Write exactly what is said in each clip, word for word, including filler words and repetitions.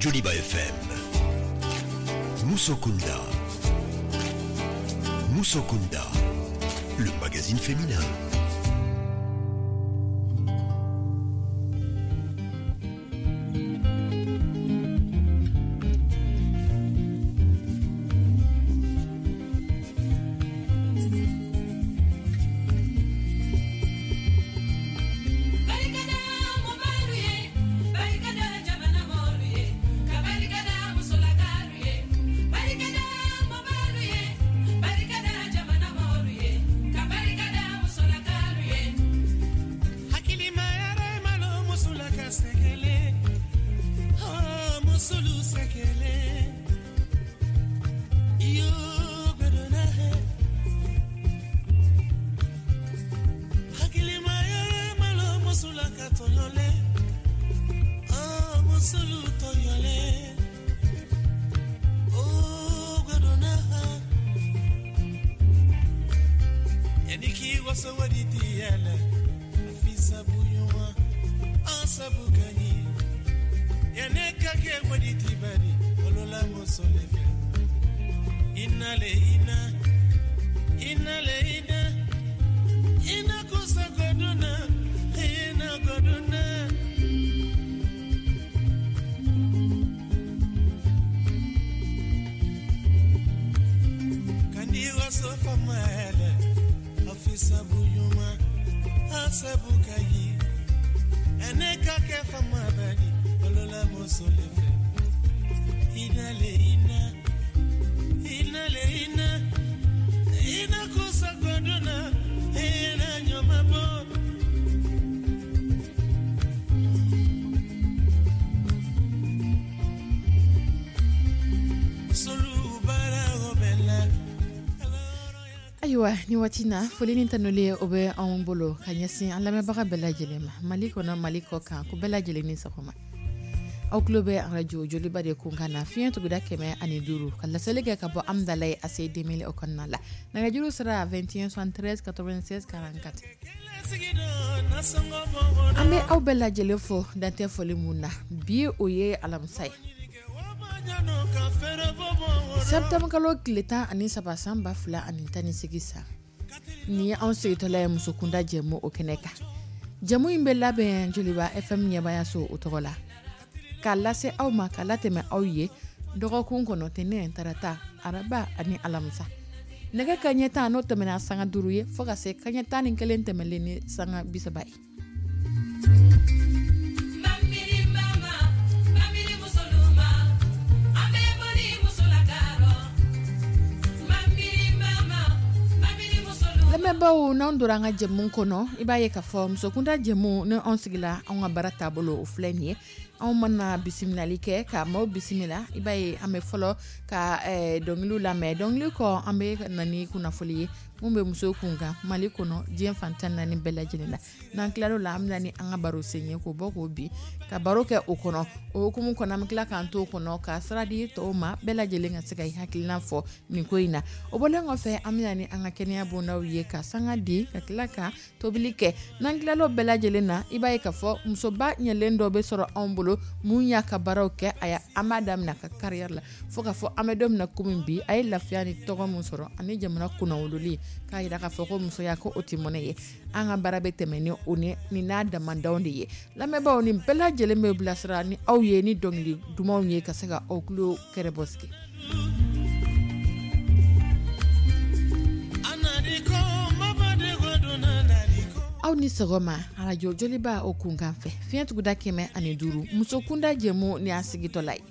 Joliba F M. Musokunda. Musokunda, le magazine féminin. Ayiwa ni waati na foli ni tanuli o bɛ anw bolo ka ɲɛsin an lamɛnbaga bɛɛ lajɛlen ma Mali kɔnɔ Mali kɔ kan ko bɛɛ lajɛlen ni sɔgɔma aw tulo bɛ arajo Joliba de kun kan na fiɲɛ tuguda kɛmɛ ani duuru ka laseli kɛ ka bɔ Amdalaye A C deux mille o kɔnɔna la nɛgɛjuru sira vingt et un soixante-treize quatre-vingt-seize quarante-quatre an bɛ aw bɛɛ lajɛlen fo dantɛ foli mun na bi o ye alamisa ye septembre kalo tile tan ani saba san ba fila ani tan ni seegin san ni ye anw segintɔla ye musokunda jɛmu o kɛnɛ kan jɛmu in bɛ labɛn Joliba F M ɲɛmayaso o tɔgɔ la k'a lase aw ma k'a latɛmɛ aw ye dɔgɔkun kɔnɔ tɛnɛn tarata araba ani alamisa nɛgɛ kanɲɛ tan n'o tɛmɛna sanga duuru ye fo ka se kanɲɛ tan ni kelen tɛmɛlen ni sanga bi saba ye. Lamɛnbaaw n'an donna an ka jɛmu kɔnɔ i b'a ye k'a fɔ musokunda jɛmu ni anw sigila anw ka baara taabolo o filɛ nin ye anw mana bisimilali kɛ ka maaw bisimila i b'a ye an bɛ fɔlɔ ka dɔnkiliw lamɛn dɔnkili kɔ an bɛ na ni kunnafoli ye mun bɛ musow kun kan Mali kɔnɔ diɲɛ fan tan naani bɛɛ lajɛlen la n'an tilal'o la an bɛ na ni an ka baro sen ye k'o bɔ k'o bin ka baro kɛ o kɔnɔ o hukumu kɔnɔ an bɛ tila k'an to o kɔnɔ ka sira di tɔw ma bɛɛ lajɛlen ka se ka i hakilina fɔ nin ko in na o bɔlen kɔfɛ an bɛ na ni an ka kɛnɛya bondaw ye ka sanga di ka tila ka tobili kɛ n'an tilal'o bɛɛ lajɛlen na i b'a ye k'a fɔ musoba ɲɛlen dɔ bɛ sɔrɔ anw bolo mun y'a ka baaraw kɛ a y'a an b'a daminɛ a ka carrière la fo k'a fɔ an bɛ don min na komi bi a ye lafiya ni tɔgɔ mun sɔrɔ ani jamana kunnawololi k'a jira k'a fɔ ko musoya ko o tɛ mɔnɛ ye an ka baara bɛ tɛmɛ ni o ni n'a damandanw de ye lamɛnbaaw ni bɛɛ lajɛlen bɛ bilasira ni aw ye ni dɔnkili dumanw ye ka se ka aw tulo kɛrɛbɔ sigi. Aw ni sɔgɔma arajo Joliba o kunkan fɛ fiɲɛ tuguda kɛmɛ ani duuru musokunda jɛmu ni a sigitɔla ye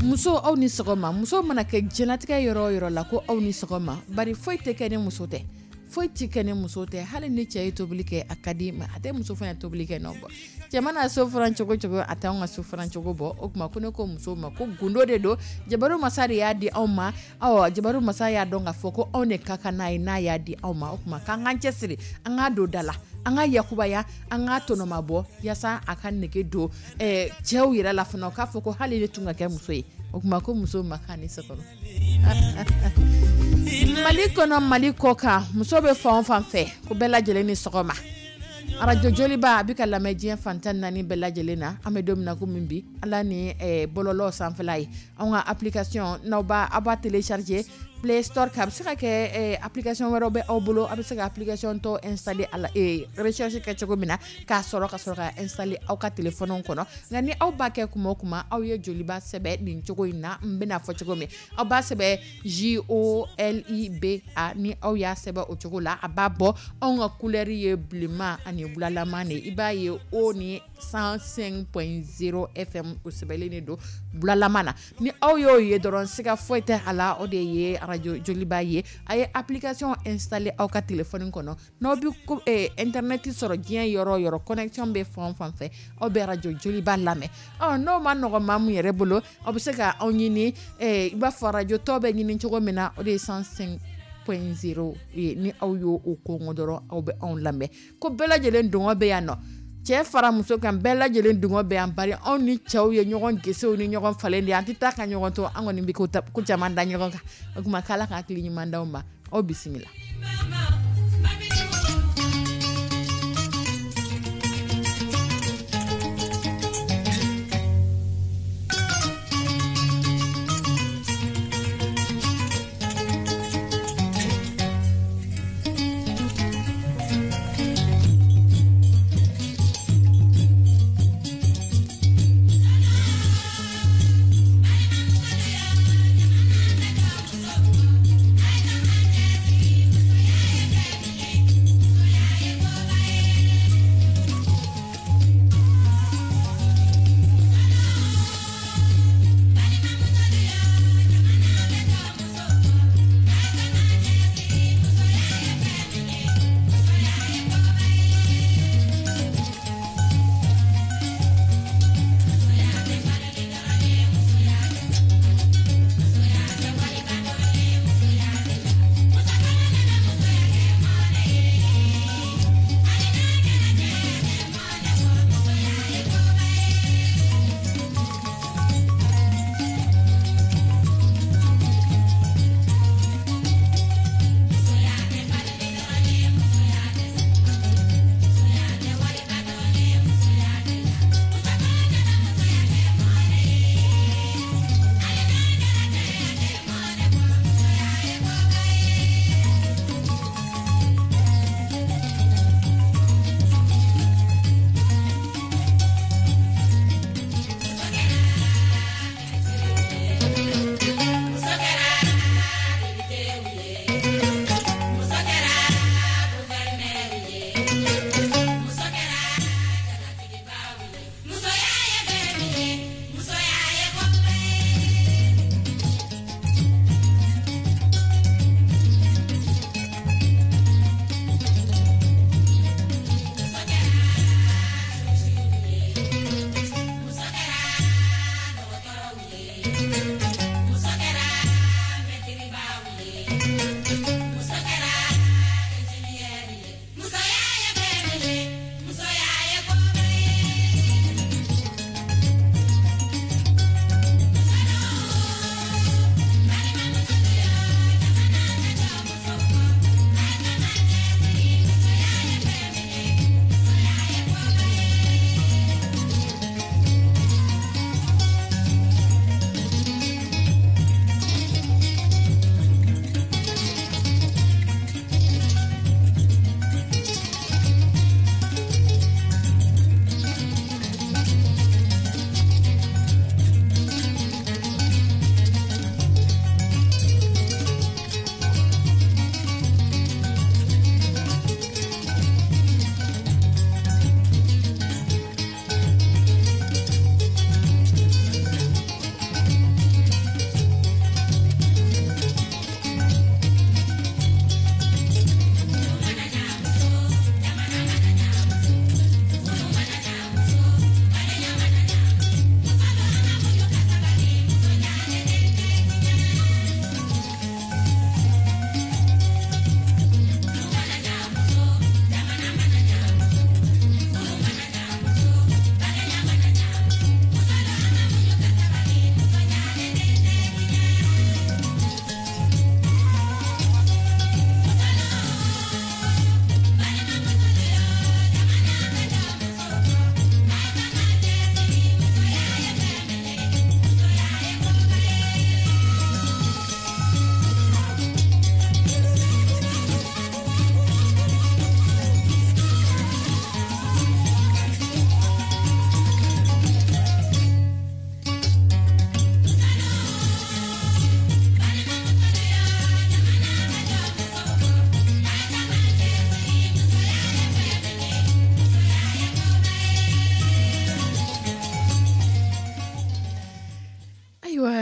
muso aw ni sɔgɔma muso mana kɛ diɲɛlatigɛ yɔrɔ o yɔrɔ la ko aw ni sɔgɔma bari foyi tɛ kɛ ni muso tɛ foyi tɛ kɛ ni muso tɛ hali ni cɛ ye tobili kɛ a ka di ma a tɛ muso fana tobili kɛ nɔ bɔ cɛ mana so furan cogo cogo a t'anw ka so furan cogo bɔ o tuma ko ne ko muso ma ko gundo de don jabaru masa de y'a di anw ma awɔ jabaru masa y'a dɔn k'a fɔ ko anw de ka kan n'a ye n'a y'a di anw ma o tuma k'an k'an cɛsiri an k'a don da la an ka yakubaya an k'a tɔnɔmabɔ yaasa a ka nege don eh, cɛw yɛrɛ la fana k'a fɔ ko hali ne tun ka kɛ muso ye o tuma ko muso ma k'a ni sɔgɔma. Mali kɔnɔ Mali kɔ kan muso bɛ fan o fan fɛ ko bɛɛ lajɛlen ni sɔgɔma. Arajo Joliba a bɛ ka lamɛn diɲɛ fan tan naani bɛɛ lajɛlen na. An bɛ don min na komi bi, ala ni bɔlɔlɔ sanfɛla ye, anw ka application, n'aw b'a aw b'a télécharger Play Store kan. A bɛ se ka kɛ application wɛrɛw bɛ aw bolo, a bɛ se ka application tɔ installer a la, recherche kɛ cogo min na k'a sɔrɔ ka sɔrɔ ka installer aw ka téléphone kɔnɔ. Nka ni aw b'a kɛ kuma o kuma, aw ye Joliba sɛbɛn nin cogo in na, n bɛna fɔ cogo min, aw b'a sɛbɛn J O L I B A. Ni aw y'a sɛbɛn o cogo la, a b'a bɔ. Anw ka couleur ye bilenman ani bulalama de. I b'a ye o ni cent cinq point zéro F M, o sɛbɛnlen de don bulalama na. Ni aw y'o ye dɔrɔn, siga foyi tɛ a la, o de ye arajo Joliba ye. A ye application installer aw ka téléphone kɔnɔ. N'aw bɛ ko internet sɔrɔ diɲɛ yɔrɔ o yɔrɔ, connexion bɛ fan o fan fɛ, aw bɛ arajo Joliba lamɛn. Ɔ, n'o ma nɔgɔn maa min yɛrɛ bolo, aw bɛ se ka anw ɲini i b'a fɔ arajo tɔ bɛ ɲini cogo min na, o de ye cent cinq point zéro ye. Ni aw y'o o kɔngɔ dɔrɔn, aw bɛ anw lamɛn. Ko bɛɛ lajɛlen dungɔ bɛ yan nɔ, cɛ fara muso kan, bɛɛ lajɛlen dungɔ bɛ yan, bari anw ni cɛw ye ɲɔgɔn gesew ni ɲɔgɔn falen de, an tɛ taa ka ɲɔgɔn to. An kɔni bɛ ko caman da ɲɔgɔn kan. O tuma k'Ala ka hakili ɲuman d'aw ma. Aw bisimila.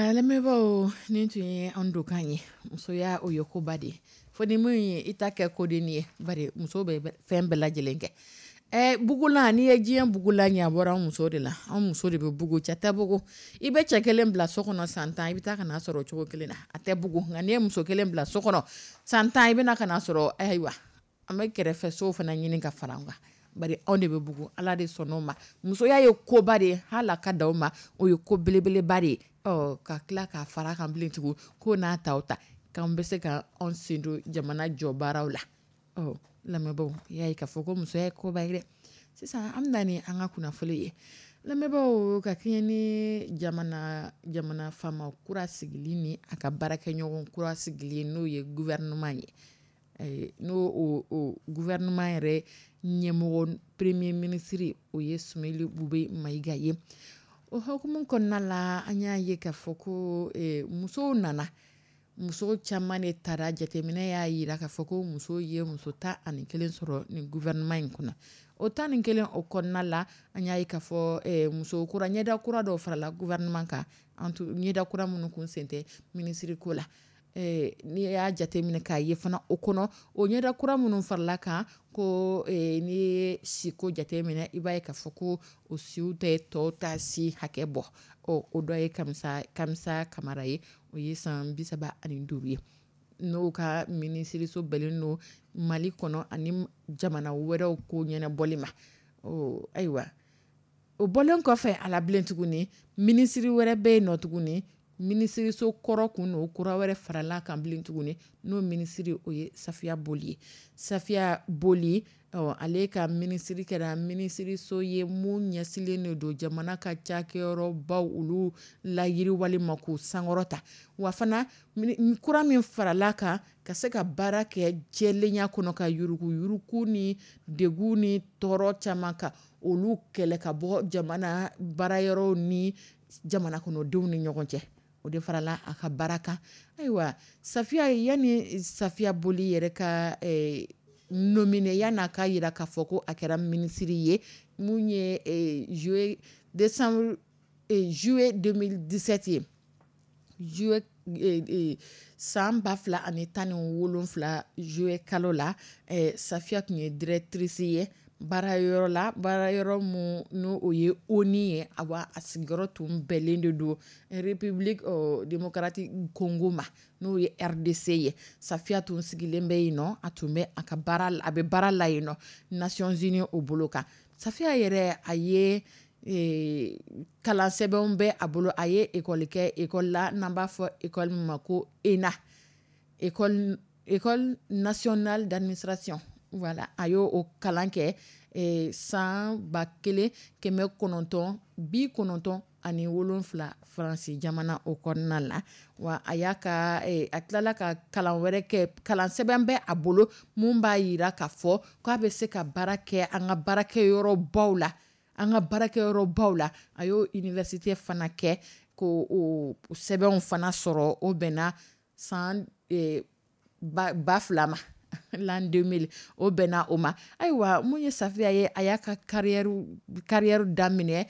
Ayiwa, lamɛnbaaw, nin tun ye an donkan ye. Musoya, o ye koba de ye, fo ni min ye i ta kɛ kodennin ye. Bari muso bɛ fɛn bɛɛ lajɛlen kɛ. Ɛ bugulan, n'i ye diɲɛ bugulan ye, a bɔra an muso de la. An muso de bɛ bugu, cɛ tɛ bugu. I bɛ cɛ kelen bila so kɔnɔ san tan, i bɛ taa ka n'a sɔrɔ o cogo kelen na, a tɛ bugu. Nka n'i ye muso kelen bila so kɔnɔ san tan, i bɛna ka n'a sɔrɔ, ayiwa, an bɛ kɛrɛfɛ so fana ɲini ka fara an kan. Bari anw de bɛ bugu, Ala de sɔnna o ma. Musoya ye koba de ye, hali a ka dan o ma, o ye ko belebeleba de ye. Ɔ ka tila k'a fara kan bilen tugun, ko n'a ta o ta k'an bɛ se ka anw sen don jamana jɔ baaraw la. Ɔ lamɛnbaaw, i y'a ye k'a fɔ ko musoya ye koba ye dɛ. Sisan an bɛ na ni an ka kunnafoni ye. Lamɛnbaaw, ka kɛɲɛ ni jamana jamana faama kura sigili ni a ka baarakɛɲɔgɔn kura sigili, n'o ye gouvernement ye, n'o o o gouvernement yɛrɛ ɲɛmɔgɔ, premier ministre, o ye Soumeylou Boubèye Maïga ye, o hukumu kɔnɔna la, an y'a ye k'a fɔ ko musow nana, muso caman de taara. Jateminɛ y'a jira k'a fɔ ko muso ye muso tan ani kelen sɔrɔ nin gouvernement in kɔnɔ. O tan ni kelen o kɔnɔna la, an y'a ye k'a fɔ muso kura, ɲɛda kura dɔw farala gouvernement kan, ɲɛda kura minnu kun sen tɛ minisiri ko la. N'i y'a jateminɛ k'a ye fana, o kɔnɔ, o ɲɛda kura minnu farala kan, ko n'i ye siko jateminɛ, i b'a ye k'a fɔ ko o siw tɛ tɔw ta si hakɛ bɔ. Ɔ o dɔ ye Kamisa Kamisa Kamara ye, o ye san bi saba ani duuru ye, n'o ka minisiriso bɛnnen don Mali kɔnɔ ani jamana wɛrɛw ko ɲɛnabɔli ma. Ɔ ayiwa, o bɔlen kɔfɛ a la bilen tuguni, minisiri wɛrɛ bɛ yen nɔ tuguni, minisiriso kɔrɔ kun don, kura wɛrɛ farala kan bilen tuguni, n'o minisiri, o ye Safiya Boli ye. Safiya Boli, ɔ ale ka minisiri kɛra minisiriso ye mun ɲɛsilen de don jamana ka cakɛyɔrɔbaw, olu layiriwali ma, k'u sankɔrɔta. Wa fana, kura min farala kan, ka se ka baara kɛ jɛlenya kɔnɔ, ka yuruguyurugu ni degun ni tɔɔrɔ caman kan, olu kɛlɛ ka bɔ jamana baarayɔrɔw ni jamana kɔnɔdenw ni ɲɔgɔn cɛ, o de farala a ka baara kan. Ayiwa, Safiya, yanni Safiya Boli yɛrɛ ka nominé, yanni a ka jira k'a fɔ ko a kɛra minisiri ye, mun ye juillet, décembre, juillet deux mille dix-sept ye, juillet san ba fila ani tan ni wolonfila, juillet kalo la, Safiya tun ye directrice ye baarayɔrɔ la, baarayɔrɔ mun n'o o ye ONU ye. Awa, a sigiyɔrɔ tun bɛnnen de don République démocratique Congo ma, n'o ye R D C ye. Safiya tun sigilen bɛ yen nɔ, a tun bɛ a ka baara, a bɛ baara la yen nɔ, Nations Unies o bolo kan. Safiya yɛrɛ, a ye kalan sɛbɛnw bɛ a bolo. A ye école kɛ, école la n'an b'a fɔ école min ma ko ENA, école école nationale d'administration. Voilà, a y'o o kalan kɛ san ba kelen kɛmɛ kɔnɔntɔn bi kɔnɔntɔn ani wolonfila Faransi jamana o kɔnɔna la. Wa a y'a ka a tilala ka kalan wɛrɛ kɛ. Kalan sɛbɛn bɛ a bolo mun b'a jira k'a fɔ k'a bɛ se ka baara kɛ an ka baarakɛyɔrɔbaw la, an ka baarakɛyɔrɔbaw la. A y'o université fana kɛ, ko o sɛbɛnw fana sɔrɔ. O bɛnna san ba fila ma, l'an deux mille, o bɛnna o ma. Ayiwa, mun ye Safiya ye, a y'a ka carrière carrière daminɛ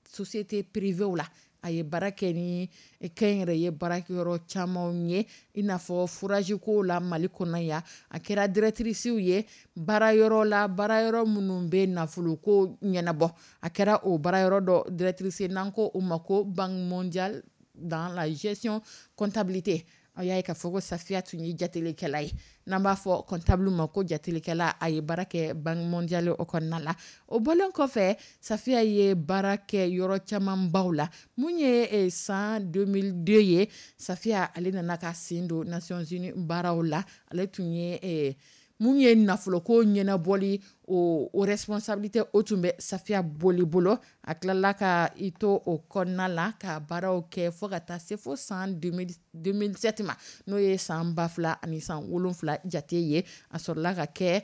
société privée la. A ye baara kɛ ni kɛnyɛrɛye baarakɛyɔrɔ camanw ye, i n'a fɔ forage ko la Mali kɔnɔ yan. A kɛra directrice ye baarayɔrɔ la, baarayɔrɔ minnu bɛ nafolo ko ɲɛnabɔ. A kɛra o baarayɔrɔ dɔ directrice, n'an ko o ma ko Banque mondiale, dans la gestion comptabilité. A y'a ye k'a fɔ ko Safiya tun ye jatelikɛla ye, n'an b'a fɔ comptable ma ko jatelikɛla. A ye baara kɛ Banque mondiale o kɔnɔna la. O bɔlen kɔfɛ, Safiya ye baara kɛ yɔrɔ camanbaw la. Mun ye san deux mille deux ye, Safiya ale nana ka sen don Nations Unies baaraw la. Ale tun ye mun ye nafoloko ɲɛnabɔli, o o responsabilité, o tun bɛ Safiya Boli bolo. A tilala ka i to o kɔnɔna la ka baaraw kɛ fo ka taa se fo san deux mille sept ma, n'o ye san ba fila ani san wolonfila jate ye. A sɔrɔla ka kɛ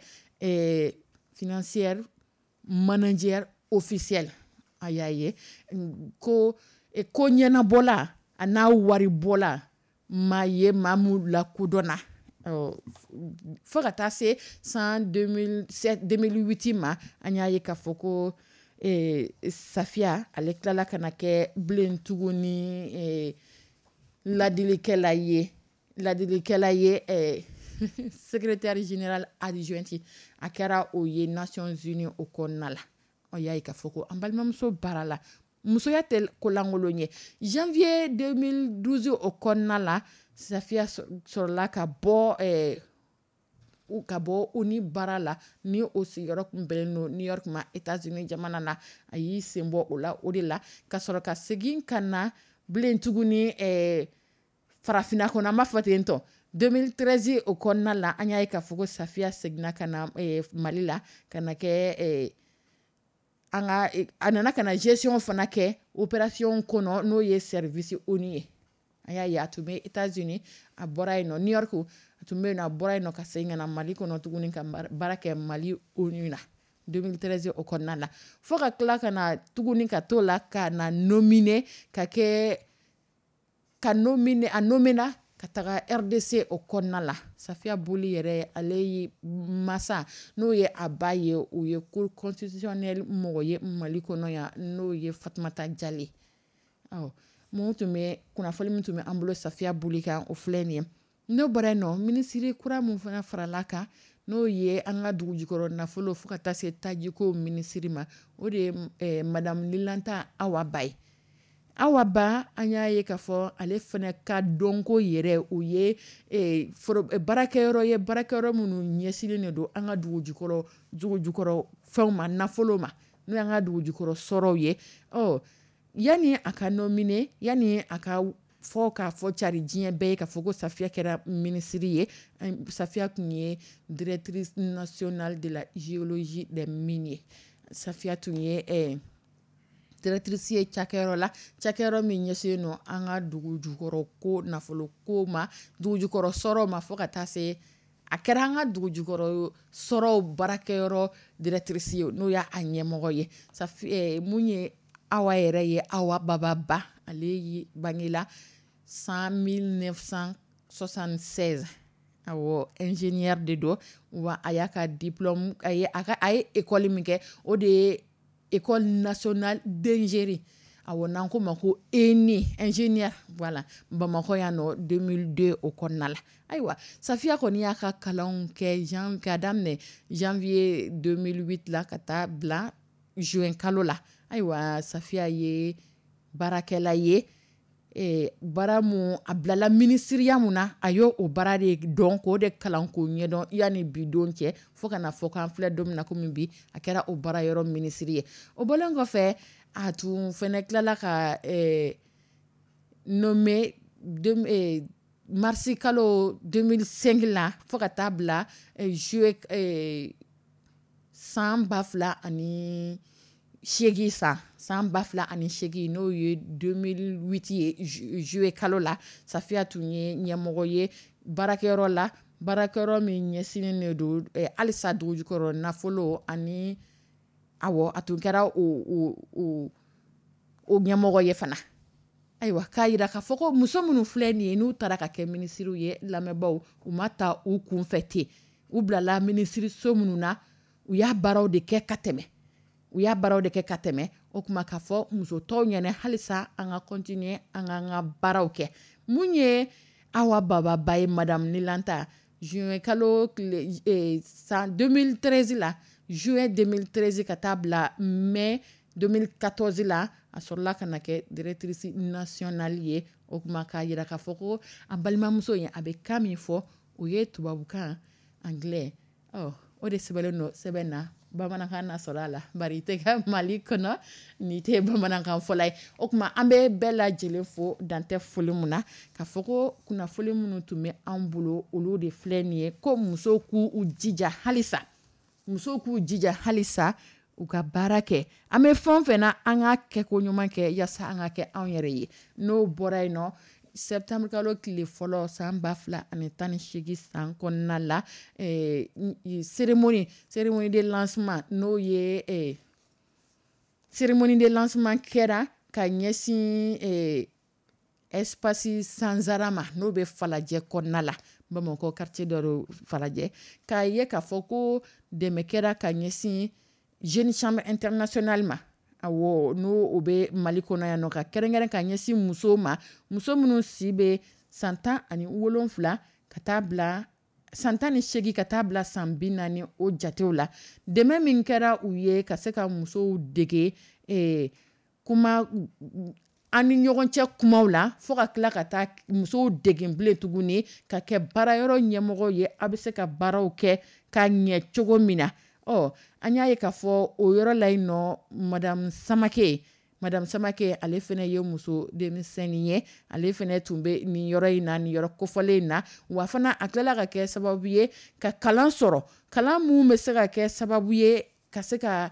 financière manager officiel. A y'a ye ko ko ɲɛnabɔla a n'a waribɔla, maa ye maa mun lakodɔnna fo ka taa se san deux mille huit ma. An y'a ye k'a fɔ ko Safiya ale tilala ka na kɛ bilen tuguni ladilikɛla ye ladilikɛla ye secrétaire général adjointe a kɛra o ye Nations Unies o kɔnɔna la. Aw y'a ye k'a fɔ ko an balimamuso baara la musoya tɛ kolankolon ye. Janvier deux mille douze o kɔnɔna la, Safiya sɔrɔla ka bɔ ka bɔ O N U baara la, ni o sigiyɔrɔ tun bɛnnen don New York ma, États-Unis jamana na. A y'i sen bɔ o la o de la ka sɔrɔ ka segin ka na bilen tuguni farafinna kɔnɔ, an b'a fɔ ten tɔ. deux mille treize o kɔnɔna la, an y'a ye k'a fɔ ko Safiya seginna ka na Mali la ka na kɛ an ka a nana ka na gestion fana kɛ opération kɔnɔ, n'o ye service O N U ye. An y'a ye a tun bɛ États-Unis, a bɔra yen nɔ, New York a tun bɛ yen nɔ, a bɔra yen nɔ ka segin ka na Mali kɔnɔ tuguni ka baara kɛ Mali O N U na deux mille treize o kɔnɔna la, fo ka tila ka na tuguni ka t'o la ka na nominé ka kɛ ka nominé a nommé ka taga R D C o kɔnɔna la. Safiya Boli yɛrɛ, ale ye masa n'o ye a ba ye, o ye Cour constitutionnelle mɔgɔ ye Mali kɔnɔ yan, n'o ye Fatumata Jale. Ɔ mun tun bɛ kunnafoni min tun bɛ an bolo Safiya Boli kan, o filɛ nin ye. N'o bɔra yen nɔ, minisiri kura min fana farala kan, n'o ye an ka dugu jukɔrɔ nafolo fo ka taa se tajiko minisiri ma, o de ye Madame Nilanta Awa Ba ye. Awa Ba, an y'a ye k'a fɔ ale fana ka dɔnko yɛrɛ, o ye baarakɛyɔrɔ ye, baarakɛyɔrɔ minnu ɲɛsinnen de don an ka dugu jukɔrɔ dugu jukɔrɔ fɛnw ma, nafolo ma, n'o y'an ka dugu jukɔrɔ sɔrɔw ye. Ɔ yanni a ka nominé, yanni a ka fɔ k'a fɔ cari diɲɛ bɛɛ ye k'a fɔ ko Safiya kɛra minisiri ye, Safiya tun ye directrice nationale de la géologie des mines ye. Safiya tun ye directrice ye cakɛyɔrɔ la, cakɛyɔrɔ min ɲɛsinnen don an ka dugu jukɔrɔ ko nafolo ko ma, dugu jukɔrɔ sɔrɔw ma, fo ka taa se a kɛra an ka dugu jukɔrɔ sɔrɔw baarakɛyɔrɔ directrice ye, n'o y'a ɲɛmɔgɔ ye. Safi mun ye Awa yɛrɛ ye, Awa Baba Ba, ale bangela san mille neuf cent soixante-seize. Awɔ, ingénieur de don wa. A y'a ka diplôme, a ye a ka a ye école min kɛ, o de ye École nationale d'ingénierie, awɔ, n'an ko ma ko E N I, ingénieur, voilà, Bamakɔ yan nɔ, deux mille deux o kɔnɔna la. Ayiwa, Safiya kɔni y'a ka kalanw kɛ jan k'a daminɛ janvier deux mille huit la ka taa bila juin kalo la. Ayiwa, Safiya ye baarakɛla ye, baara mun a bilala minisiriya mun na, a y'o o baara de dɔn k'o de kalan k'o ɲɛdɔn yanni bi don cɛ, fo ka na fɔ k'an filɛ don min na komi bi, a kɛra o baara yɔrɔ minisiri ye. O bɔlen kɔfɛ, a tun fɛnɛ tilala ka nommé marisi kalo deux mille cinq la fo ka taa bila juillet san ba fila ani seegin, san san ba fila ani seegin, n'o ye deux mille huit ye, juillet kalo la, Safiya tun ye ɲɛmɔgɔ ye baarakɛyɔrɔ la, baarakɛyɔrɔ min ɲɛsinnen de don halisa dugu jukɔrɔ nafolo ani, awɔ, a tun kɛra o o o ɲɛmɔgɔ ye fana. Ayiwa, k'a jira k'a fɔ ko muso minnu filɛ nin ye, n'u taara ka kɛ minisiriw ye, lamɛnbaaw, u ma ta u kun fɛ ten. U bilala minisiriso minnu na, u y'a baaraw de kɛ ka tɛmɛ, u y'a baaraw de kɛ ka tɛmɛ. O tuma k'a fɔ muso tɔw ɲɛna halisa an ka continuer an k'an ka baaraw kɛ. Mun ye Awa Baba Ba ye, Madame Nilanta, juin kalo tile san deux mille treize la, juin deux mille treize ka taa bila mai deux mille quatorze la, a sɔrɔla ka na kɛ directrice nationale ye. O tuma k'a jira k'a fɔ ko an balimamuso in, a bɛ kan min fɔ, o ye tubabukan, anglais, ɔ o de sɛbɛnlen don sɛbɛn na, bamanankan na sɔrɔ a la, bari i tɛ kɛ Mali kɔnɔ n'i tɛ bamanankan fɔla ye. O tuma an bɛ bɛɛ lajɛlen fo dantɛ foli mun na, ka fɔ ko kunnafoni minnu tun bɛ an bolo, olu de filɛ nin ye, ko musow k'u jija halisa, musow k'u jija halisa u ka baara kɛ. An bɛ fɛn o fɛn na, an ka kɛko ɲuman kɛ yaasa an ka kɛ anw yɛrɛ ye. N'o bɔra yen nɔ, septembre kalo tile fɔlɔ san ba fila ani tan ni seegin san kɔnɔna la, cérémonie cérémonie de lancement, n'o ye cérémonie de lancement kɛra ka ɲɛsin espace Sanzara ma, n'o bɛ Falajɛ kɔnɔna la, Bamakɔ quartier dɔ don Falajɛ, k'a ye k'a fɔ ko dɛmɛ kɛra ka ɲɛsin Jeune Chambre Internationale ma. Awɔ, n'o o bɛ Mali kɔnɔ yan nɔ, ka kɛrɛnkɛrɛn ka ɲɛsin musow ma, muso minnu si bɛ san tan ani wolonfila ka taa bila san tan ni seegin ka taa bila san bi naani, o jatew la, dɛmɛ min kɛra u ye ka se ka musow dege kuma an ni ɲɔgɔn cɛ kumaw la, fo ka tila ka taa musow dege bilen tuguni ka kɛ baarayɔrɔ ɲɛmɔgɔ ye, a bɛ se ka baaraw kɛ ka ɲɛ cogo min na. Ɔ, an y'a ye k'a fɔ o yɔrɔ la yen nɔ, Madame Samake Madame Samake ale fana ye muso denmisɛnnin ye, ale fana tun bɛ nin yɔrɔ in na, nin yɔrɔ kofɔlen in na. Wa fana a tilala ka kɛ sababu ye ka kalan sɔrɔ, kalan mun bɛ se ka kɛ sababu ye ka se ka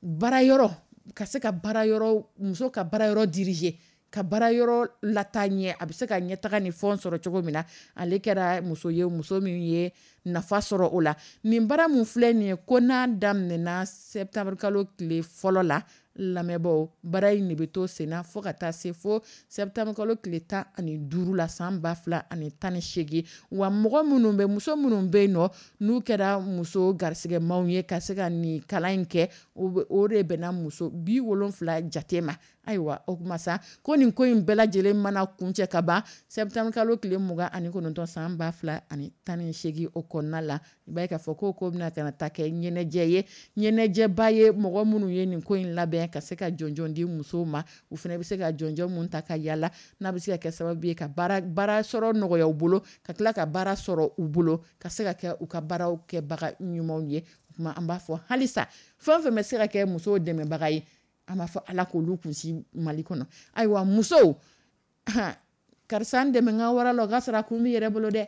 baarayɔrɔ ka se ka baarayɔrɔ muso ka baarayɔrɔ diriger, ka baarayɔrɔ lataa ɲɛ, a bɛ se ka ɲɛtaga ni fɛnw sɔrɔ cogo min na. Ale kɛra muso ye, muso min ye nafa sɔrɔ o la. Nin baara mun filɛ nin ye, ko n'a daminɛna septembre kalo tile fɔlɔ la, lamɛnbaaw, baara in de bɛ to senna fo ka taa se fo septembre kalo tile tan ani duuru la san ba fila ani tan ni seegin. Wa mɔgɔ minnu bɛ, muso minnu bɛ yen nɔ, n'u kɛra muso garisigɛmaw ye ka se ka nin kalan in kɛ, o de bɛnna muso bi wolonfila jate ma. Ayiwa, o kuma sa, ko nin ko in bɛɛ lajɛlen mana kuncɛ ka ban septembre kalo tile mugan ani kɔnɔntɔn san ba fila ani tan ni seegin o kɔnɔna la, i b'a ye k'a fɔ ko ko bɛna ka taa kɛ ɲɛnajɛ ye, ɲɛnajɛba ye. Mɔgɔ minnu ye nin ko in labɛn ka se ka jɔnjɔn di musow ma, u fana bɛ se ka jɔnjɔn mun ta ka yala, n'a bɛ se ka kɛ sababu ye ka baara baara sɔrɔ nɔgɔya u bolo, ka tila ka baara sɔrɔ u bolo, ka se ka kɛ u ka baaraw kɛbaga ɲumanw ye. O tuma an b'a fɔ halisa, fɛn o fɛn bɛ se ka kɛ musow dɛmɛbaga ye, an b'a fɔ Ala k'olu kunsi Mali kɔnɔ. Ayiwa, musow, karisa n dɛmɛ n ka wara la, o ka sɔrɔ a kun b'i yɛrɛ bolo dɛ,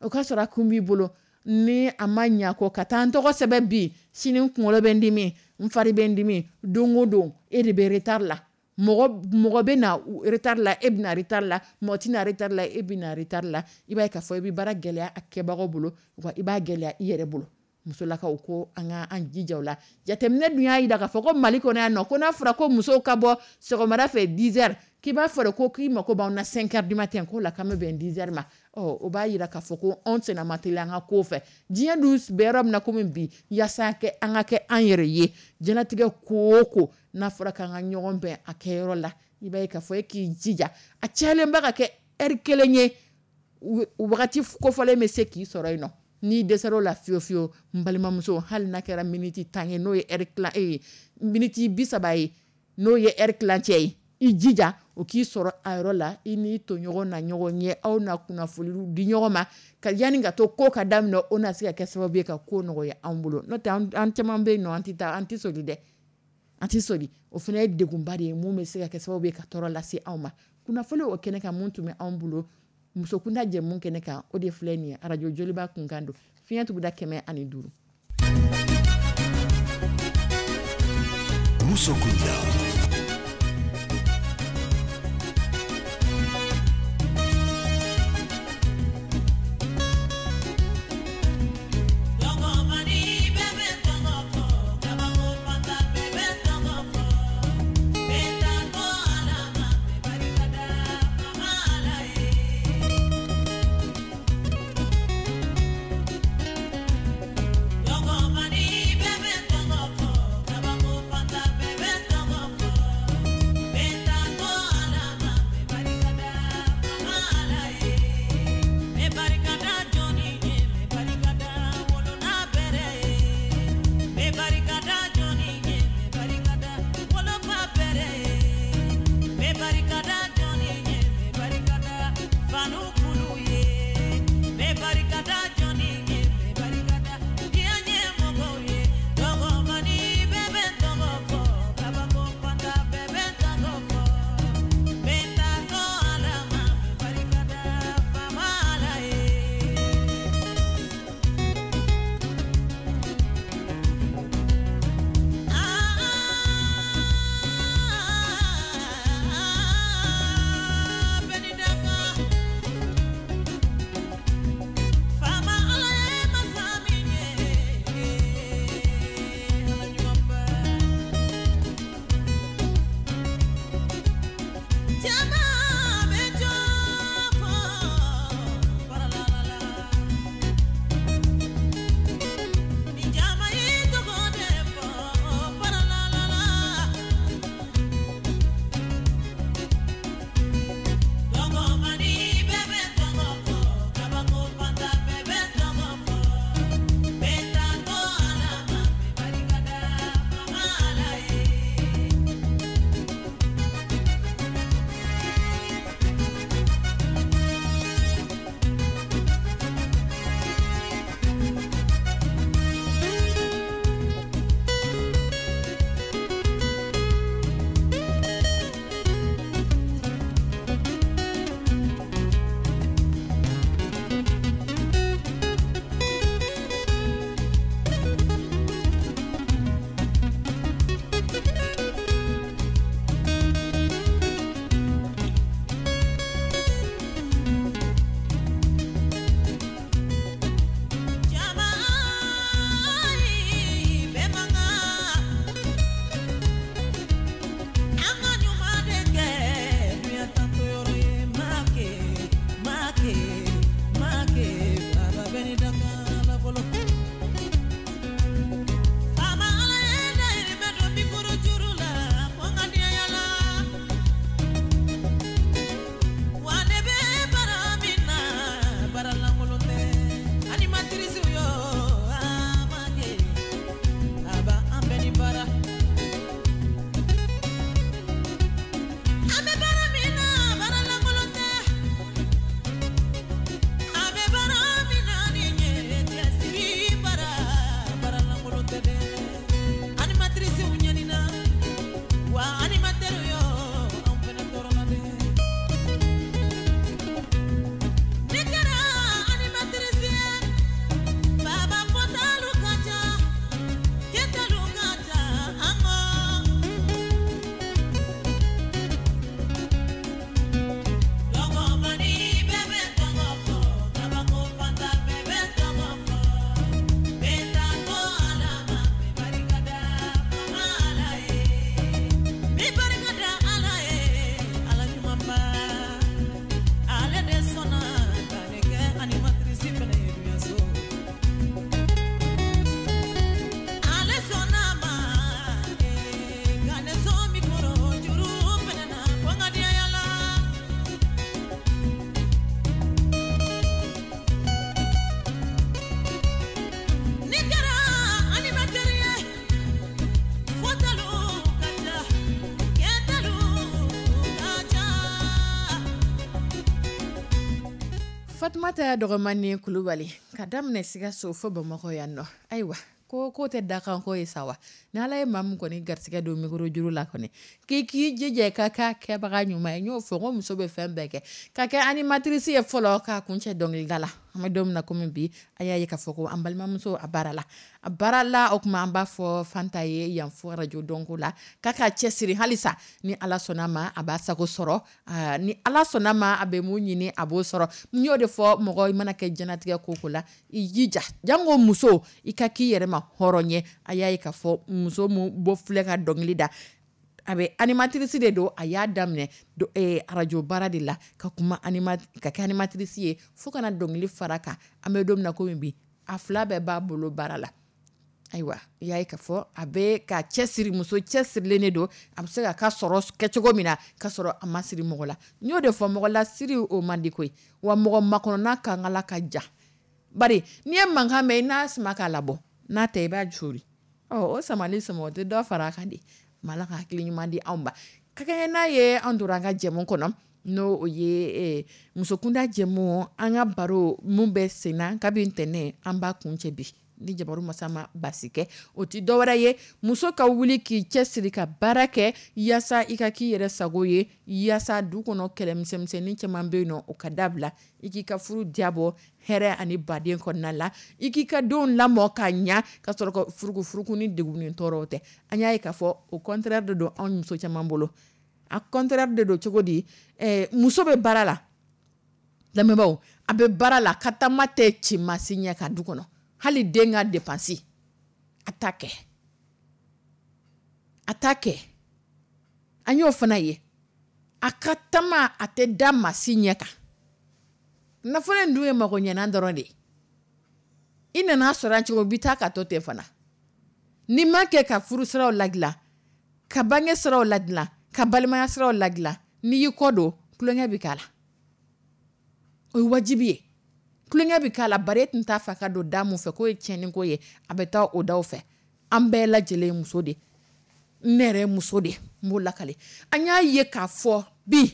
o ka sɔrɔ a kun b'i bolo. Ni a ma ɲa kɔ ka taa n tɔgɔ sɛbɛn bi, sini n kunkolo bɛ n dimi, n fari bɛ n dimi, don o don e de bɛ retard la. Mɔgɔ mɔgɔ bɛ na retard la, e bɛ na retard la, mɔgɔ tɛ na retard la, e bɛ na retard la. I b'a ye k'a fɔ i bɛ baara gɛlɛya a kɛbagaw bolo, wa i b'a gɛlɛya i yɛrɛ bolo. Musolakaw, ko an ka an jija o la. Jateminɛ dun y'a jira k'a fɔ ko Mali kɔnɔ yan nɔ, ko n'a fɔra ko musow ka bɔ sɔgɔmada fɛ dix heures, k'i b'a fɔ de ko k'i mako b'anw na cinq heures du matin, k'o la k'an bɛ bɛn dix heures ma. Ɔ, o b'a jira k'a fɔ ko anw senna ma teliya an ka ko fɛ. Diɲɛ dun bɛ yɔrɔ min na komi bi, yaasa kɛ an ka kɛ an yɛrɛ ye diɲɛlatigɛ ko o ko, n'a fɔra k'an ka ɲɔgɔn bɛn a kɛyɔrɔ la, i b'a ye k'a fɔ e k'i jija a cayalenba ka kɛ heure kelen ye, wagati kofɔlen bɛ se k'i sɔrɔ yen nɔ. N'i dɛsɛr'o la fiyewu fiyewu, n balimamuso, hali n'a kɛra miniti tan ye, n'o ye heure tilan e miniti bi saba ye, n'o ye heure tilancɛ ye, i jija o k'i sɔrɔ a yɔrɔ la. I n'i tɔɲɔgɔn na ɲɔgɔn ye, aw na kunnafoniw di ɲɔgɔn ma ka yanni ka to ko ka daminɛ, o na se ka kɛ sababu ye ka ko nɔgɔya anw bolo. N'o tɛ, an caman bɛ yen nɔ, an tɛ taa, an tɛ soli dɛ, an tɛ soli. O fana ye degunba de ye mun bɛ se ka kɛ sababu ye ka tɔɔrɔ lase anw ma. Kunnafoni o kɛnɛ kan, mun tun bɛ anw bolo musokunda jɛmu kɛnɛ kan, o de filɛ nin ye. Arajo Joliba kunkan don, fiɲɛ tuguda kɛmɛ ani duuru. Musokunda. Fatumata Dɔgɔmani Kulubali ka daminɛ Sikaso fo Bamakɔ yan nɔ. Ayiwa, ko ko tɛ dakanko ye sa wa, ni Ala ye maa min kɔni garisɛgɛ don micro juru la kɔni k'i k'i jija ka k'a kɛbaga ɲuman ye. N y'o fɔ ko muso bɛ fɛn bɛɛ kɛ, ka kɛ animatrice ye fɔlɔ k'a kuncɛ dɔnkilida la. An bɛ don min na komi bi, a y'a ye k'a fɔ ko an balimamuso a baara la, a baara la. O tuma an b'a fɔ Fanta ye yan fo radio dɔnko la k'a ka cɛsiri halisa, ni Ala sɔnna ma a b'a sago sɔrɔ, ni Ala sɔnna ma a bɛ mun ɲini a b'o sɔrɔ. N y'o de fɔ, mɔgɔ i mana kɛ diɲɛlatigɛ ko ko la, i jija janko muso, i ka k'i yɛrɛ ma hɔrɔn ye. A y'a ye k'a fɔ muso min bɔ filɛ ka dɔnkili da, a bɛ animatrice de don, a y'a daminɛ radio baara de la ka kuma ka kɛ animatrice ye fo kana dɔnkili fara kan. An bɛ don min na komi bi, a fila bɛɛ b'a bolo baara la. Ayiwa, i y'a ye k'a fɔ a bɛ ka cɛsiri, muso cɛsirilen de don. A bɛ se ka ka sɔrɔ kɛ cogo min na ka sɔrɔ a ma siri mɔgɔ la. N y'o de fɔ, mɔgɔ la siri o man di koyi, wa mɔgɔ makɔnɔna kankala ka jan. Bari n'i ye mankan mɛn, i n'a sama k'a labɔ, n'a tɛ i b'a sori. Ɔ o samali sama o tɛ dɔ fara a kan de. Ma Ala ka hakili ɲuman di anw ma. Ka kɛɲɛ n'a ye, an tora an ka jɛmu kɔnɔ, n'o ye musokunda jɛmu. An ka baro mun bɛ senna kabi ntɛnɛn, an b'a kuncɛ bi ni jabaru masa ma basi kɛ. O tɛ dɔwɛrɛ ye, muso ka wuli k'i cɛsiri ka baara kɛ yaasa i ka k'i yɛrɛ sago ye, yaasa du kɔnɔ kɛlɛmisɛnmisɛnnin caman bɛ yen nɔ, o ka dabila, i k'i ka furu diyabɔ hɛrɛ ani baden kɔnɔna la, i k'i ka denw lamɔ ka ɲa ka sɔrɔ ka furuku furuku ni degun ni tɔɔrɔw tɛ. An y'a ye k'a fɔ o contraire de don anw muso caman bolo. A contraire de don cogo di? Ɛɛ, muso bɛ baara la, lamɛnbaaw, a bɛ baara la, ka taama tɛ ci maa si ɲɛ ka du kɔnɔ, hali den ka dépense a t'a kɛ, a t'a kɛ. An y'o fana ye, a ka taama a tɛ da maa si ɲɛ kan. Nafolo in dun ye mago ɲɛnan dɔrɔn de ye. I nana sɔrɔ cogo, bi taa ka to ten fana. N'i ma kɛ ka furu siraw ladilan, ka bange siraw ladilan, ka balimaya siraw ladilan, n'i y'i kɔ don, tulonkɛ bɛ k'a la. O ye wajibi ye, tulonkɛ bɛ k'a la. Bari e tun t'a fɛ ka don da mun fɛ k'o ye tiɲɛni ko ye, a bɛ taa o daw fɛ. An bɛɛ lajɛlen ye muso de, ne yɛrɛ ye muso de, n b'o lakale. An y'a ye k'a fɔ bi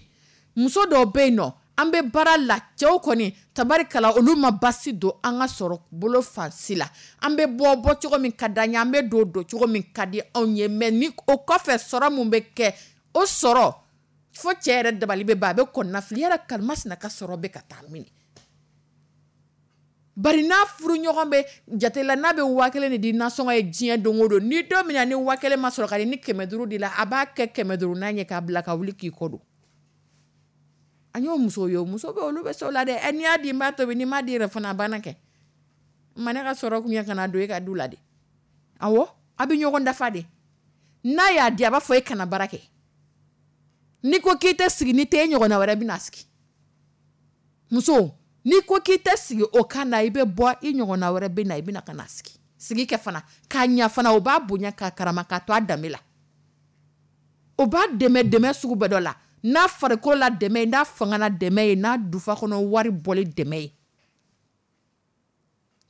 muso dɔw bɛ yen nɔ, an bɛ baara la, cɛw kɔni tabarikala, olu ma basi don an ka sɔrɔ bolo fan si la. An bɛ bɔ bɔ cogo min ka d'an ye, an bɛ don don cogo min ka di anw ye, mais ni o kɔfɛ sɔrɔ mun bɛ kɛ, o sɔrɔ fo cɛ yɛrɛ dabali bɛ ban, a bɛ kɔnɔna fili yɛrɛ, karimasina ka sɔrɔ bɛ ka taa min. Bari n'a furu ɲɔgɔn bɛ jate la, n'a bɛ waa kelen de di nasɔngɔ ye diɲɛ don o don, ni don min na ni waa kelen ma sɔrɔ ka di, ni kɛmɛ duuru de la, a b'a kɛ kɛmɛ duuru n'a ye k'a bila ka wuli k'i kɔ don. An y'o musow ye, muso bɛ olu bɛ se o la dɛ. N'i y'a di n b'a tobi, n'i m'a di yɛrɛ fana, a banna kɛ. Ma ne ka sɔrɔ kun ye ka na don e ka du la de. Awɔ, a bɛ ɲɔgɔn dafa de. N'a y'a di, a b'a fɔ e kana baara kɛ. N'i ko k'i tɛ sigi, ni tɛ e ɲɔgɔnna wɛrɛ bɛna sigi. Muso, n'i ko k'i tɛ sigi o kan na, i bɛ bɔ, i ɲɔgɔnna wɛrɛ bɛ na, i bɛna ka na sigi. Sigi kɛ fana k'a ɲa fana, o b'a bonya k'a karama k'a to a danbe la, o b'a dɛmɛ dɛmɛ sugu bɛɛ dɔ la, n'a farikolo la dɛmɛ ye, n'a fanga la dɛmɛ ye, n'a dufa kɔnɔ wari bɔli dɛmɛ ye.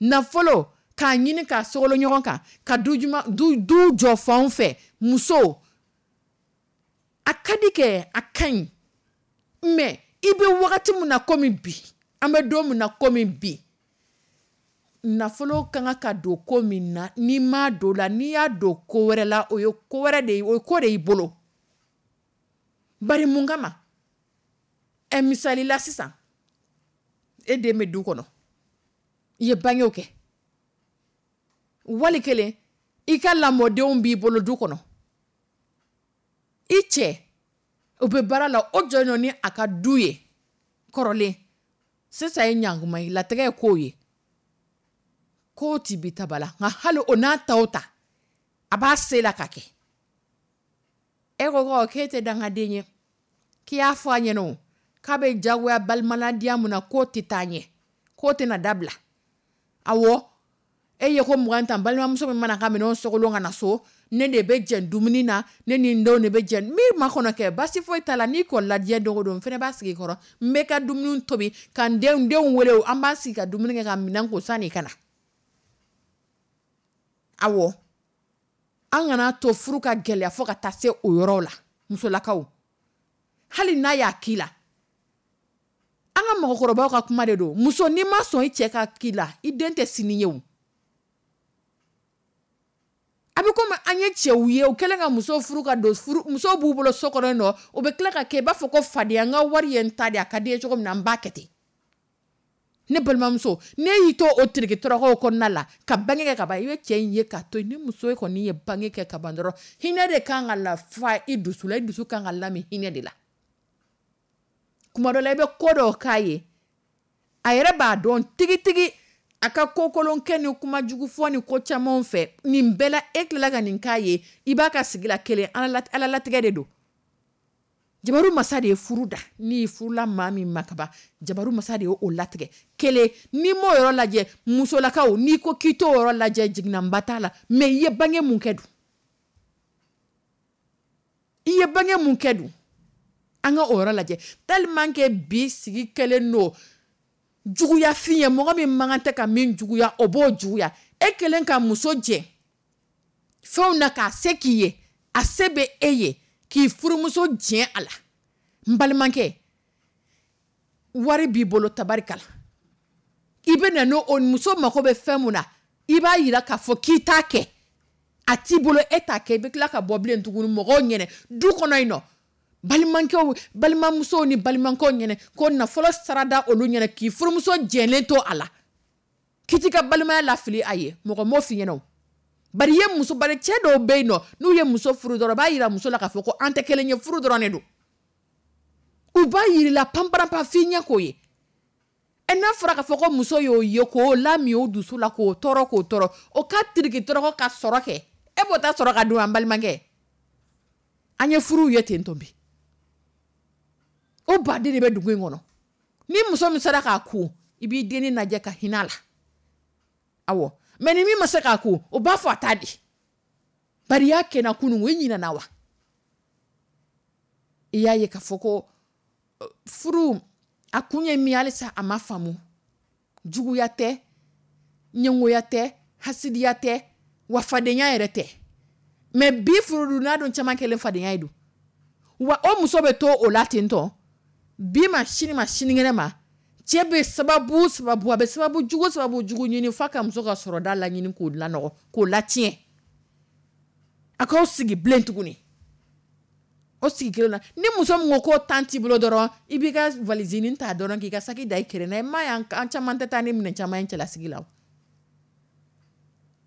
Nafolo k'a ɲini k'a sogolo ɲɔgɔn kan ka du juma du du jɔ fanw fɛ, muso a ka di kɛ, a ka ɲi, mais i bɛ wagati min na komi bi, an bɛ don min na komi bi, nafolo ka kan ka don ko min na, n'i m'a don la, n'i y'a don ko wɛrɛ la, o ye ko wɛrɛ de ye, o ye ko de y'i bolo. Bari mun kama? Ɛ, misali la sisan, e den bɛ du kɔnɔ, i ye bangew kɛ, wali kelen i ka lamɔdenw b'i bolo du kɔnɔ, i cɛ o bɛ baara la, o jɔn ni a ka du ye kɔrɔlen. Sisan ye ɲankuma ye, latigɛ ye kow ye, ko ti bi taba la, nka hali o n'a ta o ta, a b'a se la ka kɛ. E ko ko k'e tɛ dangaden ye, k'i y'a fɔ a ɲɛna o, k'a bɛ jagoya balimaladiya mun na, k'o tɛ taa ɲɛ, k'o tɛna dabila. Awɔ, e ye ko mugan tan, balimamuso min mana ka minɛnw sogolon ka na so, ne de bɛ jɛn dumuni na, ne ni n denw de bɛ jɛn min ma kɔnɔ kɛ, basi foyi t'a la. N'i kɔlila diɲɛ don o don, n fana b'a sigi kɔrɔ, n bɛ ka dumuni tobi ka n denw denw wele, an b'an sigi ka dumuni kɛ ka minɛn ko sanni ka na. Awɔ, an kana to furu ka gɛlɛya fo ka taa se o yɔrɔ la. Musolakaw, hali n'a y'a k'i la, an ka mɔgɔkɔrɔbaw ka kuma de don. Muso, n'i ma sɔn i cɛ ka k'i la, i den tɛ sini ye o. A bɛ komi an ye cɛw ye, u kɛlen ka muso furu ka don furu, muso b'u bolo so kɔnɔ yen nɔ, u bɛ tila ka kɛ i b'a fɔ ko fadenya, n ka wari ye n ta de, a ka di ye cogo min na n b'a kɛ ten. Ne balimamuso, ne y'i to o tiriki tɔrɔkɔw kɔnɔna la ka bange kɛ ka ban, i bɛ cɛ in ye k'a to yen. Ni muso kɔni ye bange kɛ ka ban dɔrɔn, hinɛ de kan ka lafa i dusu la, i dusu kan ka lami hinɛ de la. Kuma dɔ la, i bɛ ko dɔw k'a ye, a yɛrɛ b'a dɔn tigitigi a ka ko kolon kɛ ni kuma jugu fɔ ni ko camanw fɛ, nin bɛɛ la e tilala ka nin k'a ye, i b'a ka sigi la kelen. Ala latigɛ de don. Jabaru masa de ye furu da, n'i furula maa min ma kaban, jabaru masa de ye o latigɛ. Kelen, n'i m'o yɔrɔ lajɛ, musolakaw, n'i ko k'i t'o yɔrɔ lajɛ, jiginnaba t'a la. Mais i ye bange mun kɛ dun? I ye bange mun kɛ dun? An ka o yɔrɔ lajɛ. Tellement que bi sigi kɛlen don juguyafin ye, mɔgɔ min man kan tɛ ka min juguya, o b'o juguya. E kɛlen ka muso jɛ fɛnw na k'a se k'i ye, a se bɛ e ye k'i furumuso jɛ a la. N balimakɛ, wari b'i bolo, tabarikala, i bɛ na n'o muso mako bɛ fɛn mun na, i b'a yira k'a fɔ k'i t'a kɛ, a t'i bolo, e t'a kɛ. I bɛ tila ka bɔ bilen tuguni mɔgɔw ɲɛnɛ du kɔnɔ yen nɔ, balimakɛw, balimamusow ni balimakɛw ɲɛnɛ, ko nafolo sarada olu ɲɛnɛ, k'i furumuso jɛlen to a la, k'i t'i ka balimaya lafili a ye. Mɔgɔ m'o f'i ɲɛna o. Bari i ye muso, bari cɛ dɔw bɛ yen nɔ, n'u ye muso furu dɔrɔn, u b'a yira muso la k'a fɔ ko an tɛ kelen ye, furu dɔrɔn de don. U b'a yir'i la panparanpan f'i ɲɛ k'o ye. Ɛ, n'a fɔra k'a fɔ ko muso y'o ye k'o lami o dusu la, k'o tɔɔrɔ k'o tɔɔrɔ, o ka tiriki tɔrɔkɔ ka sɔrɔ kɛ, e b'o ta sɔrɔ ka dun. An balimakɛ, an ye furuw ye ten tɔ bi, o baden de bɛ dugu in kɔnɔ. Ni muso min sera k'a kun, i b'i dennin lajɛ ka hinɛ a la. Awɔ, mais ni min ma se k'a kun, o b'a fɔ a t'a di. Bari i y'a kɛ n na kunun, i ɲinɛna wa? I y'a ye k'a fɔ ko furu a kun ye min ye, halisa a ma faamu. Juguya tɛ, ɲɛngoya tɛ, hasidiya tɛ, wa fadenya yɛrɛ tɛ. Mais bi furu dun n'a dun caman kɛlen fadenya ye dun. Wa o muso bɛ to o la ten tɔ, bi ma, sini ma, sinikɛnɛ ma, cɛ bɛ sababu sababu, a bɛ sababu jugu sababu jugu ɲini f'a ka muso ka sɔrɔda laɲini k'o lanɔgɔ, k'o latiɲɛ. A k'aw sigi bilen tuguni o sigi kelen na. Ni muso min ko k'o tan t'i bolo dɔrɔn, i b'i ka valisinin ta dɔrɔn k'i ka saki da i kɛrɛ na. I m'a ye, an caman tɛ taa ni minɛn caman ye cɛlasigi la.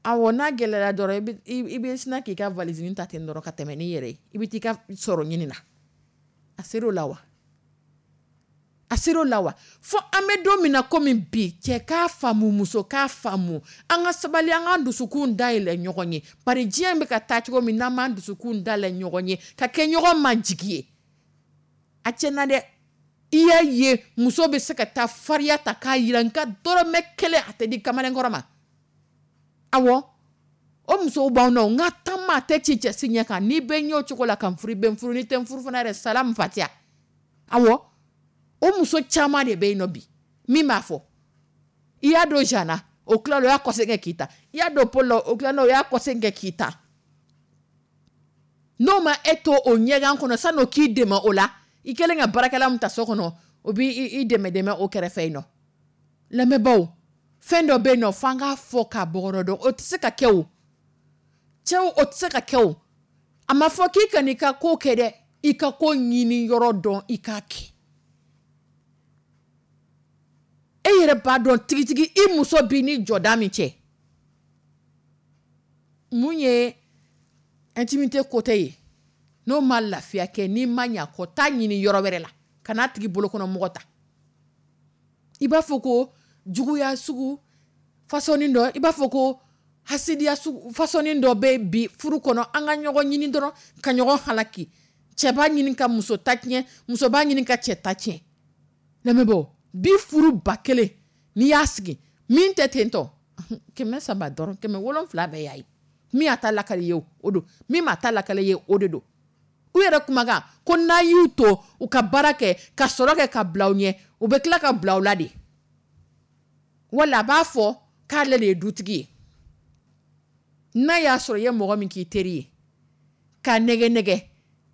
Awɔ, n'a gɛlɛyara dɔrɔn, i bɛ sina k'i ka valisinin ta ten dɔrɔn ka tɛmɛ n'i yɛrɛ ye, i bɛ t'i ka sɔrɔ ɲini na. A ser'o la wa? A ser'o la wa? Fo an bɛ don min na komi bi, cɛ k'a faamu, muso k'a faamu, an ka sabali, an k'an dusukun dayɛlɛ ɲɔgɔn ye. Bari diɲɛ bɛ ka taa cogo min, n'an m'an dusukun dayɛlɛ ɲɔgɔn ye ka kɛ ɲɔgɔn ma jigi ye, a tiɲɛna dɛ. I y'a ye, muso bɛ se ka taa fariya ta k'a yira n ka dɔrɔmɛ kelen a tɛ di kamalenkɔrɔ ma. Awɔ, o musow b'anw na, n ka taama a tɛ ci cɛ si ɲɛ kan. N'i bɛ n ye o cogo la ka n furu, i bɛ n furu, n'i tɛ n furu fana yɛrɛ, salamu fatiya. Awɔ, o muso caman de bɛ yen nɔ bi min b'a fɔ i y'a don Jean na, o tilala o y'a kɔsegin kɛ k'i ta, i y'a don Paul la, o tilala o y'a kɔsegin kɛ k'i ta. N'o ma e to o ɲɛgan kɔnɔ, san'o k'i dɛmɛ o la, i kɛlen ka baarakɛla min ta so kɔnɔ, o b'i dɛmɛ dɛmɛ o kɛrɛfɛ yen nɔ. Lamɛnbaaw, fɛn dɔ bɛ yen nɔ f'an k'a fɔ k'a bɔgɔrɔ dɔn, o tɛ se ka kɛ o. Cɛw, o tɛ se ka kɛ o. A ma fɔ k'i kan'i ka ko kɛ dɛ, i ka ko ɲini yɔrɔ dɔn, i k'a kɛ. E yɛrɛ b'a dɔn tigitigi i muso b'i ni jɔda min cɛ. Mun ye intimité côté ye, n'o ma lafiya kɛ, n'i ma ɲɛ a kɔ, taa ɲini yɔrɔ wɛrɛ la, ka n'a tigi bolokɔnɔ mɔgɔ ta. I b'a fɔ ko juguya sugu façon dɔ, i b'a fɔ ko hasidiya sugu façon dɔ bɛ bi furu kɔnɔ. An ka ɲɔgɔn ɲini dɔrɔn ka ɲɔgɔn halaki. Cɛ b'a ɲini ka muso ta tiɲɛ, muso b'a ɲini ka cɛ ta tiɲɛ. Lamɛnbaaw, bi furu ba kelen n'i y'a sigi, min tɛ ten tɔ, kɛmɛ saba dɔrɔn, kɛmɛ wolonfila bɛɛ y'a ye. Min y'a ta lakali ye o don, min m'a ta lakali ye o de don. U yɛrɛ kumakan ko n'a y'u to u ka baara kɛ ka sɔrɔ kɛ ka bila u ɲɛ, u bɛ tila ka bila u la de. Wala a b'a fɔ k'ale de ye dutigi ye. N'a y'a sɔrɔ i ye mɔgɔ min k'i teri ye k'a nɛgɛ nɛgɛ,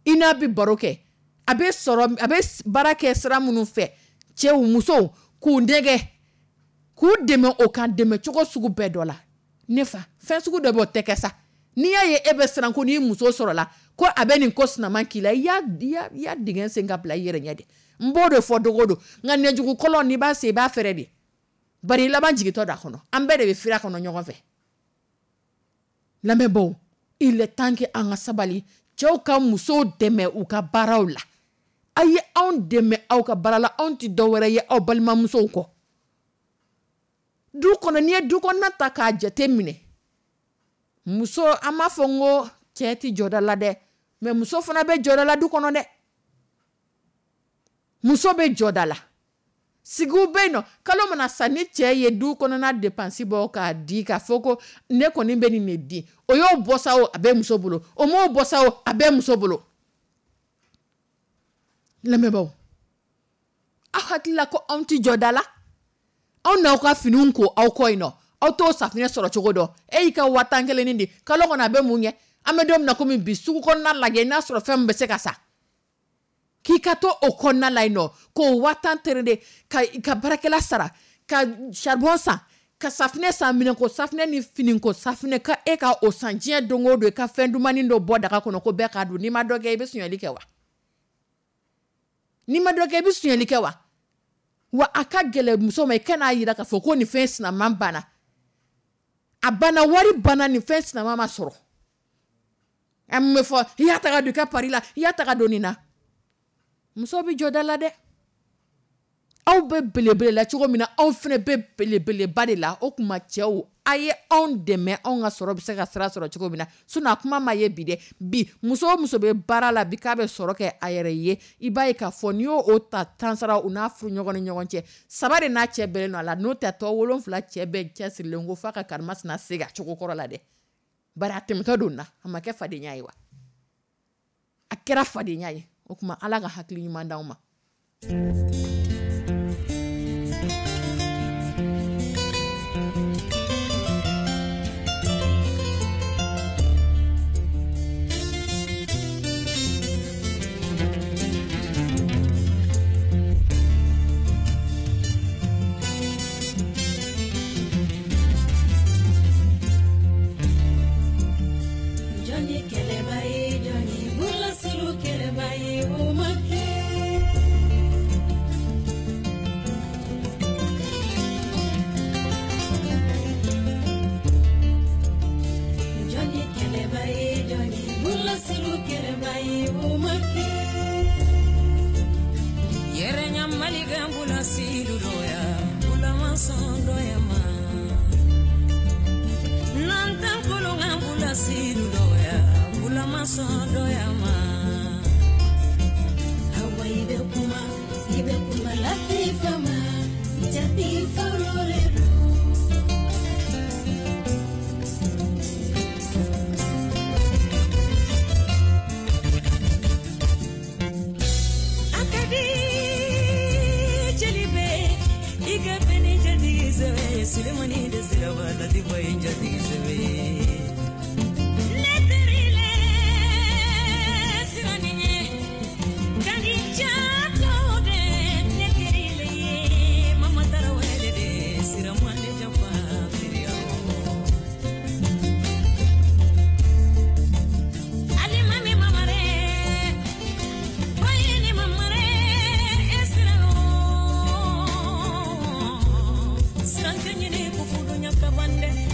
i n'a bɛ baro kɛ, a bɛ sɔrɔ, a bɛ baara kɛ sira minnu fɛ Cɛw, musow k'u nɛgɛ, k'u dɛmɛ o kan dɛmɛ cogo sugu bɛɛ dɔ la. Ne fa, fɛn sugu dɔ bɛ o tɛ kɛ sa. N'i y'a ye e bɛ siran ko n'i muso sɔrɔla ko a bɛ nin ko sinaman k'i la, i y'a i y'a dingɛ sen ka bila i yɛrɛ ɲɛ de. N b'o de fɔ dogo don, nka nɛjugu kɔlɔn n'i b'a sen i b'a fɛrɛ de, bari i laban jigintɔ don a kɔnɔ. An bɛɛ de bɛ firi a kɔnɔ ɲɔgɔn fɛ. Lamɛnbaw, il est temps que an ka sabali, cɛw ka musow dɛmɛ u ka baaraw la. A ye anw dɛmɛ aw ka baara la, anw tɛ dɔwɛrɛ ye aw balimamusow kɔ. Du kɔnɔ, n'i ye du kɔnɔna ta k'a jate minɛ, muso, an b'a fɔ n ko cɛ tɛ jɔda la dɛ, mais muso fana bɛ jɔda la du kɔnɔ dɛ. Muso bɛ jɔda la. Sigiw bɛ yen nɔ, kalo mana sa ni cɛ ye du kɔnɔna dépense bɔ k'a di, k'a fɔ ko ne kɔni bɛ nin de di, o y'o bɔ sa o, a bɛ muso bolo, o m'o bɔ sa o, a bɛ muso bolo. Lamɛnbaaw, aw hakili la ko anw tɛ jɔda la? Anw n'aw ka finiw ko aw kɔ yen nɔ, aw t'o safinɛ sɔrɔ cogo dɔn. E y'i ka waa tan kelennin di, kalo kɔnɔ a bɛ mun ɲɛ? An bɛ don min na komi bi, sugu kɔnɔna lajɛ, n'a sɔrɔ fɛn min bɛ se ka sa, k'i ka to o kɔnɔna la yen nɔ k'o waa tan terende ka ka baarakɛla sara, ka charbon san, ka safinɛ san, minɛnko safinɛ ni finiko safinɛ, ka e ka o san diɲɛ don o don, i ka fɛn dumannin dɔ bɔ daga kɔnɔ ko bɛɛ k'a dun. N'i ma dɔ kɛ, i bɛ sonyali kɛ wa? N'i ma dɔ kɛ, i bɛ sonyali kɛ wa? Wa a ka gɛlɛn muso ma, i kan'a jira k'a fɔ ko nin fɛn sinaman banna, a banna, wari banna, nin fɛn sinaman ma sɔrɔ. An bɛ fɔ i y'a ta ka don i ka pari la, i y'a ta ka don nin na. Muso bɛ jɔ da la dɛ. Aw bɛ belebele la cogo min na, aw fana bɛ belebeleba de la. O tuma cɛw, a ye anw dɛmɛ, anw ka sɔrɔ bɛ se ka sira sɔrɔ cogo min na. Sinon a kuma ma ye bi dɛ. Bi muso o muso bɛ baara la bi k'a bɛ sɔrɔ kɛ a yɛrɛ ye, i b'a ye k'a fɔ n'i y'o o ta tan sara u n'a furu ɲɔgɔn ni ɲɔgɔn cɛ, saba de n'a cɛ bɛnnen don a la, n'o tɛ tɔ wolonfila cɛ bɛɛ cɛsirilen ko f'a ka karimasina segin a cogo kɔrɔ la dɛ. Bari a tɛmɛtɔ don na, a ma kɛ fadenya ye wa? A kɛra fadenya ye. O tuma Ala ka hakili ɲuman d'anw ma.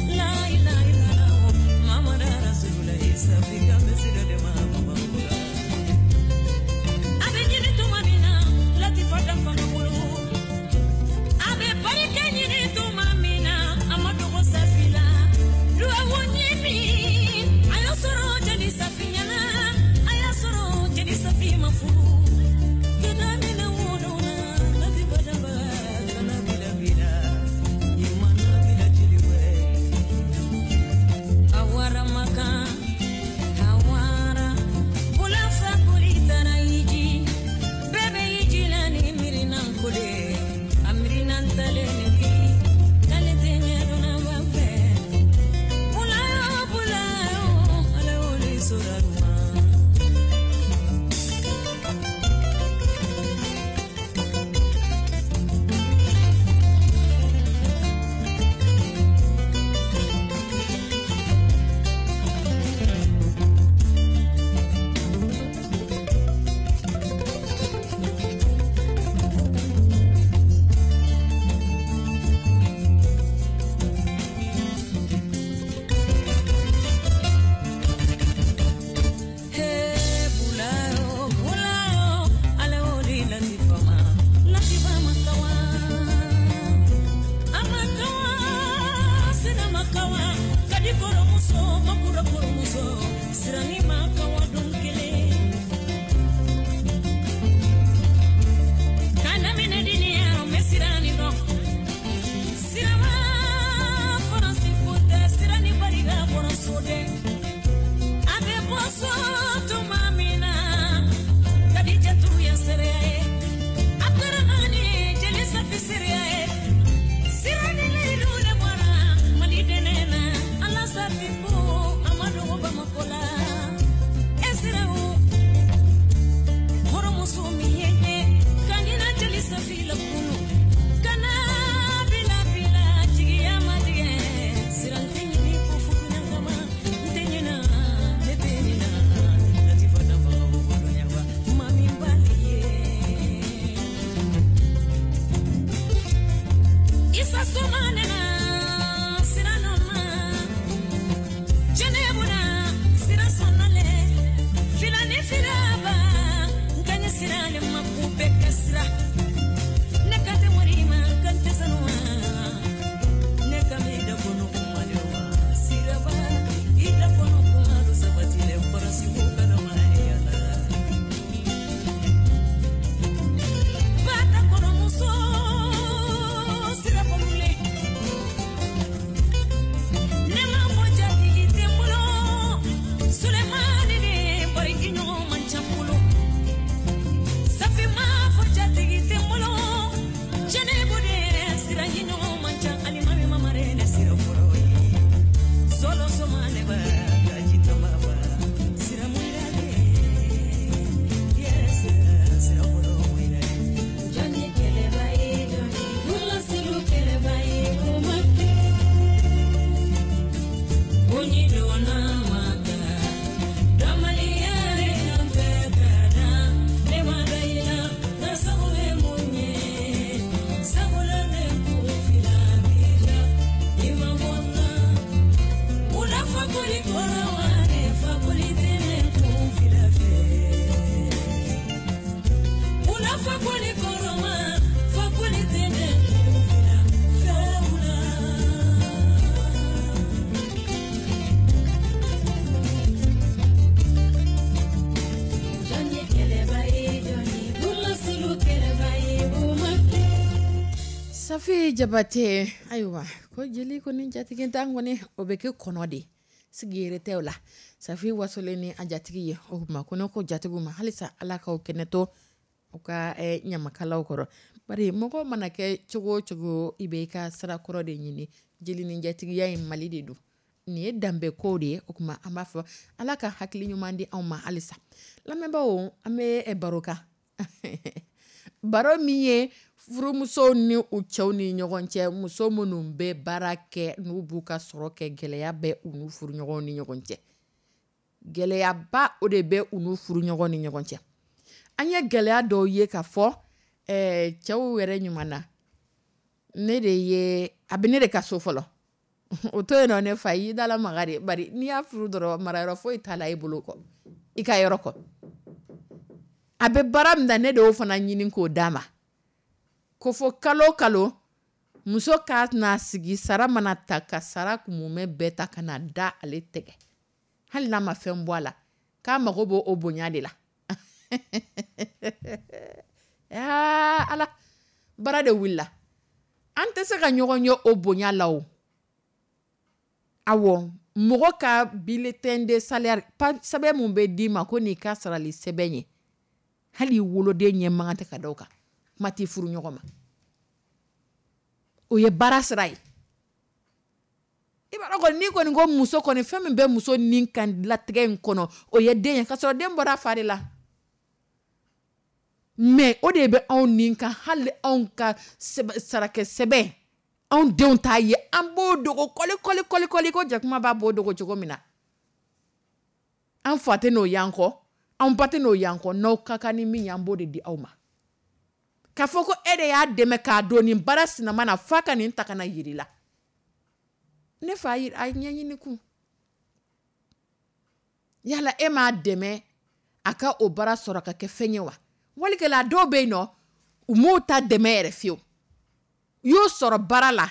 La ilaha illallah. Muso makura kɔrɔmuso sirani ma ka wa don kelen kana minɛ diniya mɛ sirani dɔn sirama faransi ko tɛ sirani barika bɔra so dɛ a bɛ bɔ so tuma min na Kadijatu ye seereya ye Abdramani jeli safi seereya ye sirani layidu le bɔra Mali dɛnɛ na Ala safi ko a ma dogo Bamakɔ la e siraw hɔrɔnmuso min ye ɲɛ ka ɲina jeli safi la kunu kana bila bila jigiya ma tigɛ siran tɛ ɲini ko furuɲa kama n tɛ ɲina ne tɛ ɲina Latifa danbaga o koloɲaba mami bali ye Isa soma nena sira nɔ ma Jɛnɛbuna sira sɔnnale filani filaba n ka ɲɛ sira le ma k'u bɛɛ ka sira ne ka tɛ mori ma kan tɛ sanu ma ne ka mi da kɔnɔ kuma le wa siraba i da kɔnɔ kuma do sabati le faransi ko kana ma yala bata kɔrɔmuso sira bolole ne ma fɔ jatigi tɛ n bolo Sulemani de bari i ɲɔgɔn man ca n bolo Safi ma fɔ jatigi tɛ n bolo Jɛnɛbu de sira i ɲɔgɔn man ca Alimami mamare ne sira fɔlɔ ye Sɔlɔ soma ne ba gaji tama ba sira muyira de yes sira fɔlɔ muyira de Jɔnni kɛlɛba ye jɔnni Bula kɛlɛba ye o ma kɛ Onyi donna maka Damaliya le nɔfɛ ka da ne ma da i la nka sago bɛ mun ye sabula ne kun fila b'i la i ma bɔ n na wula fakoli kɔrɔ wa ne fakoli tɛ ne kun fila fɛ wula fakoli kɔrɔ ma fakoli tɛ ne kun fila fɛ wula. Jɔnni kɛlɛba ye jɔnni Bula kɛlɛba ye o ma kɛ Safi Jabate ayiwa ko jeli ko ni jatigi t'an kɔni o bɛ kɛ kɔnɔ de sigi yɛrɛ tɛ o la Safi wasolen ni a jatigi ye o tuma ko ne ko jatigiw ma halisa Ala k'aw kɛnɛ to u ka eh, ɲamakalaw kɔrɔ bari mɔgɔ mana kɛ cogo o cogo i bɛ i ka sirakɔrɔ de ɲini jeli ni jatigiya in Mali de don nin ye danbe ko de ye o tuma an b'a fɔ Ala ka hakili ɲuman di anw ma halisa lamɛnbaaw an bɛ eh, baro kan baro min ye furumusow ni u cɛw ni ɲɔgɔn cɛ muso minnu bɛ baara kɛ n'u b'u ka sɔrɔ kɛ gɛlɛya bɛ u n'u furuɲɔgɔnw ni ɲɔgɔn cɛ gɛlɛyaba o de bɛ u n'u furuɲɔgɔn ni ɲɔgɔn cɛ an ye gɛlɛya dɔw ye k'a fɔ eh, cɛw yɛrɛ ɲuman na ne de ye a bɛ ne de ka so fɔlɔ o to yen nɔ ne fa y'i dala maga de bari n'i y'a furu dɔrɔn marayɔrɔ foyi t'a la i bolo kɔ i ka yɔrɔ kɔ a bɛ baara min na ne de y'o fana ɲini k'o d'a ma ko fo kalo o kalo muso ka n'a sigi sara mana ta ka sara mumɛ bɛɛ ta ka na da ale tɛgɛ hali n'a ma fɛn bɔ a la k'a mago b'o o bonya de la aa Ala baara de wulila an tɛ se ka ɲɔgɔn ye o bonya la o awɔ mɔgɔ ka bulletin de salaire sɛbɛn mun bɛ d'i ma ko n'i ka sarali sɛbɛn ye hali i woloden ɲɛ man kan tɛ ka da o kan kuma t'i furu ɲɔgɔn ma o ye baara sira ye i b'a dɔn kɔni n'i kɔni ko muso kɔni fɛn min bɛ muso ni kan latigɛ in kɔnɔ o ye den ye k'a sɔrɔ den bɔra a fa de la mais o de bɛ anw ni kan hali anw ka sarakɛ sɛbɛn anw denw t'a ye an b'o dogo kɔli kɔli kɔli kɔli ko jakuma b'a b'o dogo cogo min na an fa tɛ n'o y'an kɔ an ba tɛ n'o y'an kɔ n'aw ka kan ni min ye an b'o de di aw ma k'a fɔ ko e de y'a dɛmɛ k'a don nin baara sinama na f'a ka nin ta ka na yir'i la ne fa a ɲɛɲini kun yala e m'a dɛmɛ a ka o baara sɔrɔ ka kɛ fɛn ye wa walikɛla dɔw bɛ yen nɔ u m'o ta dɛmɛ yɛrɛ fiyewu u y'o sɔrɔ baara la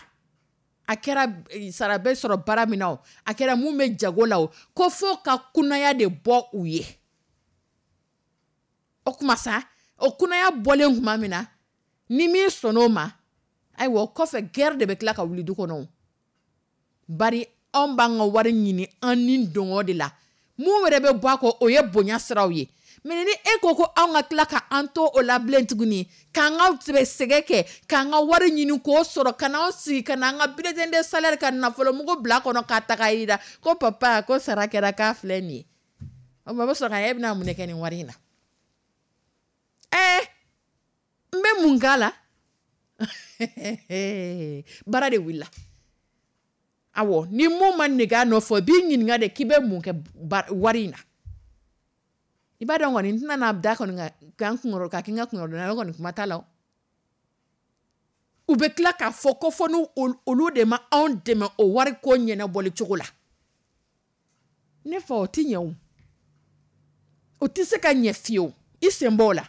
A kɛra sara bɛ sɔrɔ baara min na o, a kɛra mun bɛ jago la o, ko fo ka kunaya de bɔ u ye. O kuma sa, o kunaya bɔlen tuma min na, ni min sɔnn'o ma, ayiwa o kɔfɛ guerre de bɛ tila ka wuli du kɔnɔ. Bari anw b'an ka wari ɲini an ni dɔngɔ de la, mun yɛrɛ bɛ bɔ a kɔ, o ye bonya siraw ye. Mais ni e ko ko anw ka tila ka an to o la bilen tuguni, k'an ka sɛgɛn kɛ, k'an ka wari ɲini k'o sɔrɔ, ka n'anw sigi ka n'an ka bulletin de salaire ka nafolomugu bila kɔnɔ k'a ta k'a yira ko papa ko sara kɛra k'a filɛ nin ye. O tuma o bɛ sɔrɔ ka e bɛna mun de kɛ nin wari in na? Ɛɛ, n bɛ mun k'a la? Baara de wulila. Awɔ, ni mun ma nege a nɔfɛ, o b'i ɲininka de k'i bɛ mun kɛ wari in na. I b'a dɔn kɔni, n tɛna n'a da kɔni kan kunkɔrɔ ka kɛ n ka kunkɔrɔdonnan ye, o kɔni kuma t'a la. U bɛ tila k'a fɔ ko fɔ n'olu de ma anw dɛmɛ o wari ko ɲɛnabɔli cogo la. Ne fa, o tɛ ɲɛ o. O tɛ se ka ɲɛ fiyewu, i sen bɔ o la.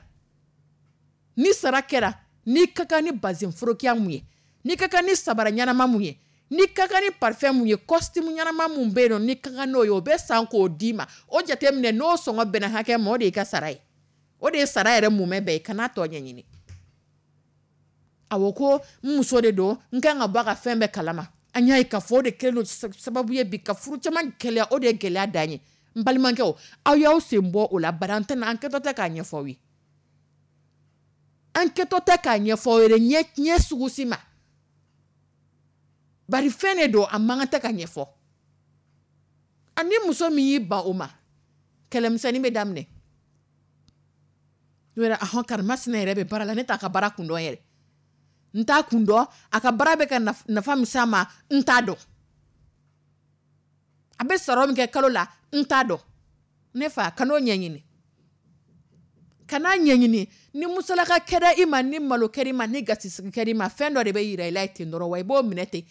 Ni sara kɛra, n'i ka kan ni bazin forokiya mun ye, n'i ka kan ni sabara ɲɛnama mun ye, n'i ka kan ni parfum mun ye, costume ɲɛnama mun bɛ yen nɔ, n'i ka kan n'o ye, o bɛ san k'o d'i ma. O jateminɛ n'o sɔngɔ bɛnna hakɛ ma, o de y'i ka sara ye. O de ye sara yɛrɛ mumɛ bɛɛ ye, kan'a tɔ ɲɛɲini. Awɔ, ko n muso de don, n kan ka bɔ a ka fɛn bɛɛ kalama. An y'a ye k'a fɔ o de kɛlen don sababu ye bi ka furu caman gɛlɛya, o de ye gɛlɛya dan ye. N balimakɛw, aw y'aw sen bɔ o la, bari an tɛna, an kɛtɔ tɛ k'a ɲɛfɔ aw ye. An kɛtɔ tɛ k'a ɲɛfɔ aw ye ɲɛ ɲɛ sugu si ma. Bari fɛn de don, a man kan tɛ ka ɲɛfɔ. Ani muso min y'i ban o ma, kɛlɛmisɛnnin bɛ daminɛ. Yɛrɛ ahɔn, karimasina yɛrɛ bɛ baara la, ne t'a ka baara kun dɔn yɛrɛ. N t'a kun dɔn, a ka baara bɛ ka nafa min s'a ma, n t'a dɔn. A bɛ sɔrɔ min kɛ kalo la, n t'a dɔn. Ne fa, kan'o ɲɛɲini. Kan'a ɲɛɲini. Ni musalaka kɛra i ma, ni malo kɛra i ma, ni gasisigi kɛra i ma, fɛn dɔ de bɛ yira i la ten dɔrɔn, wa i b'o minɛ ten.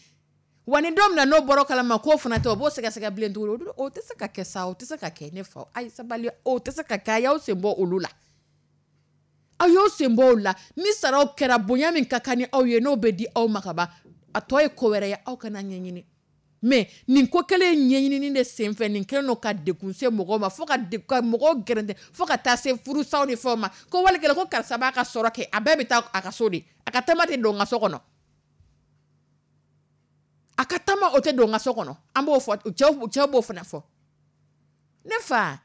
Wa ni don min na n'o bɔra o kalama k'o fana tɛ, o b'o sɛgɛsɛgɛ bilen tuguni. O tɛ se ka kɛ sa, o tɛ se ka kɛ ne fa. Ayi sabali, o tɛ se ka kɛ, a y'aw sen bɔ olu la. Aw y'aw sen bɔ olu la. Ni saraw kɛra, bonya min ka kan ni aw ye, n'o bɛ di aw ma ka ban, a tɔ ye ko wɛrɛ ye, aw kana ɲɛɲini. Mais nin ko kelen ɲɛɲinini de senfɛ, nin kɛlen don ka degun se mɔgɔw ma, fo ka ka mɔgɔw gɛrɛntɛ, fo ka taa se furusaw ni fɛnw ma. Ko wali kɛlen ko karisa b'a ka sɔrɔ kɛ, a bɛɛ bɛ taa a ka so de. A ka tama tɛ don n ka so kɔnɔ. A ka tama o tɛ don n ka so kɔnɔ. An b'o fɔ, cɛw cɛw b'o fana fɔ. Ne fa,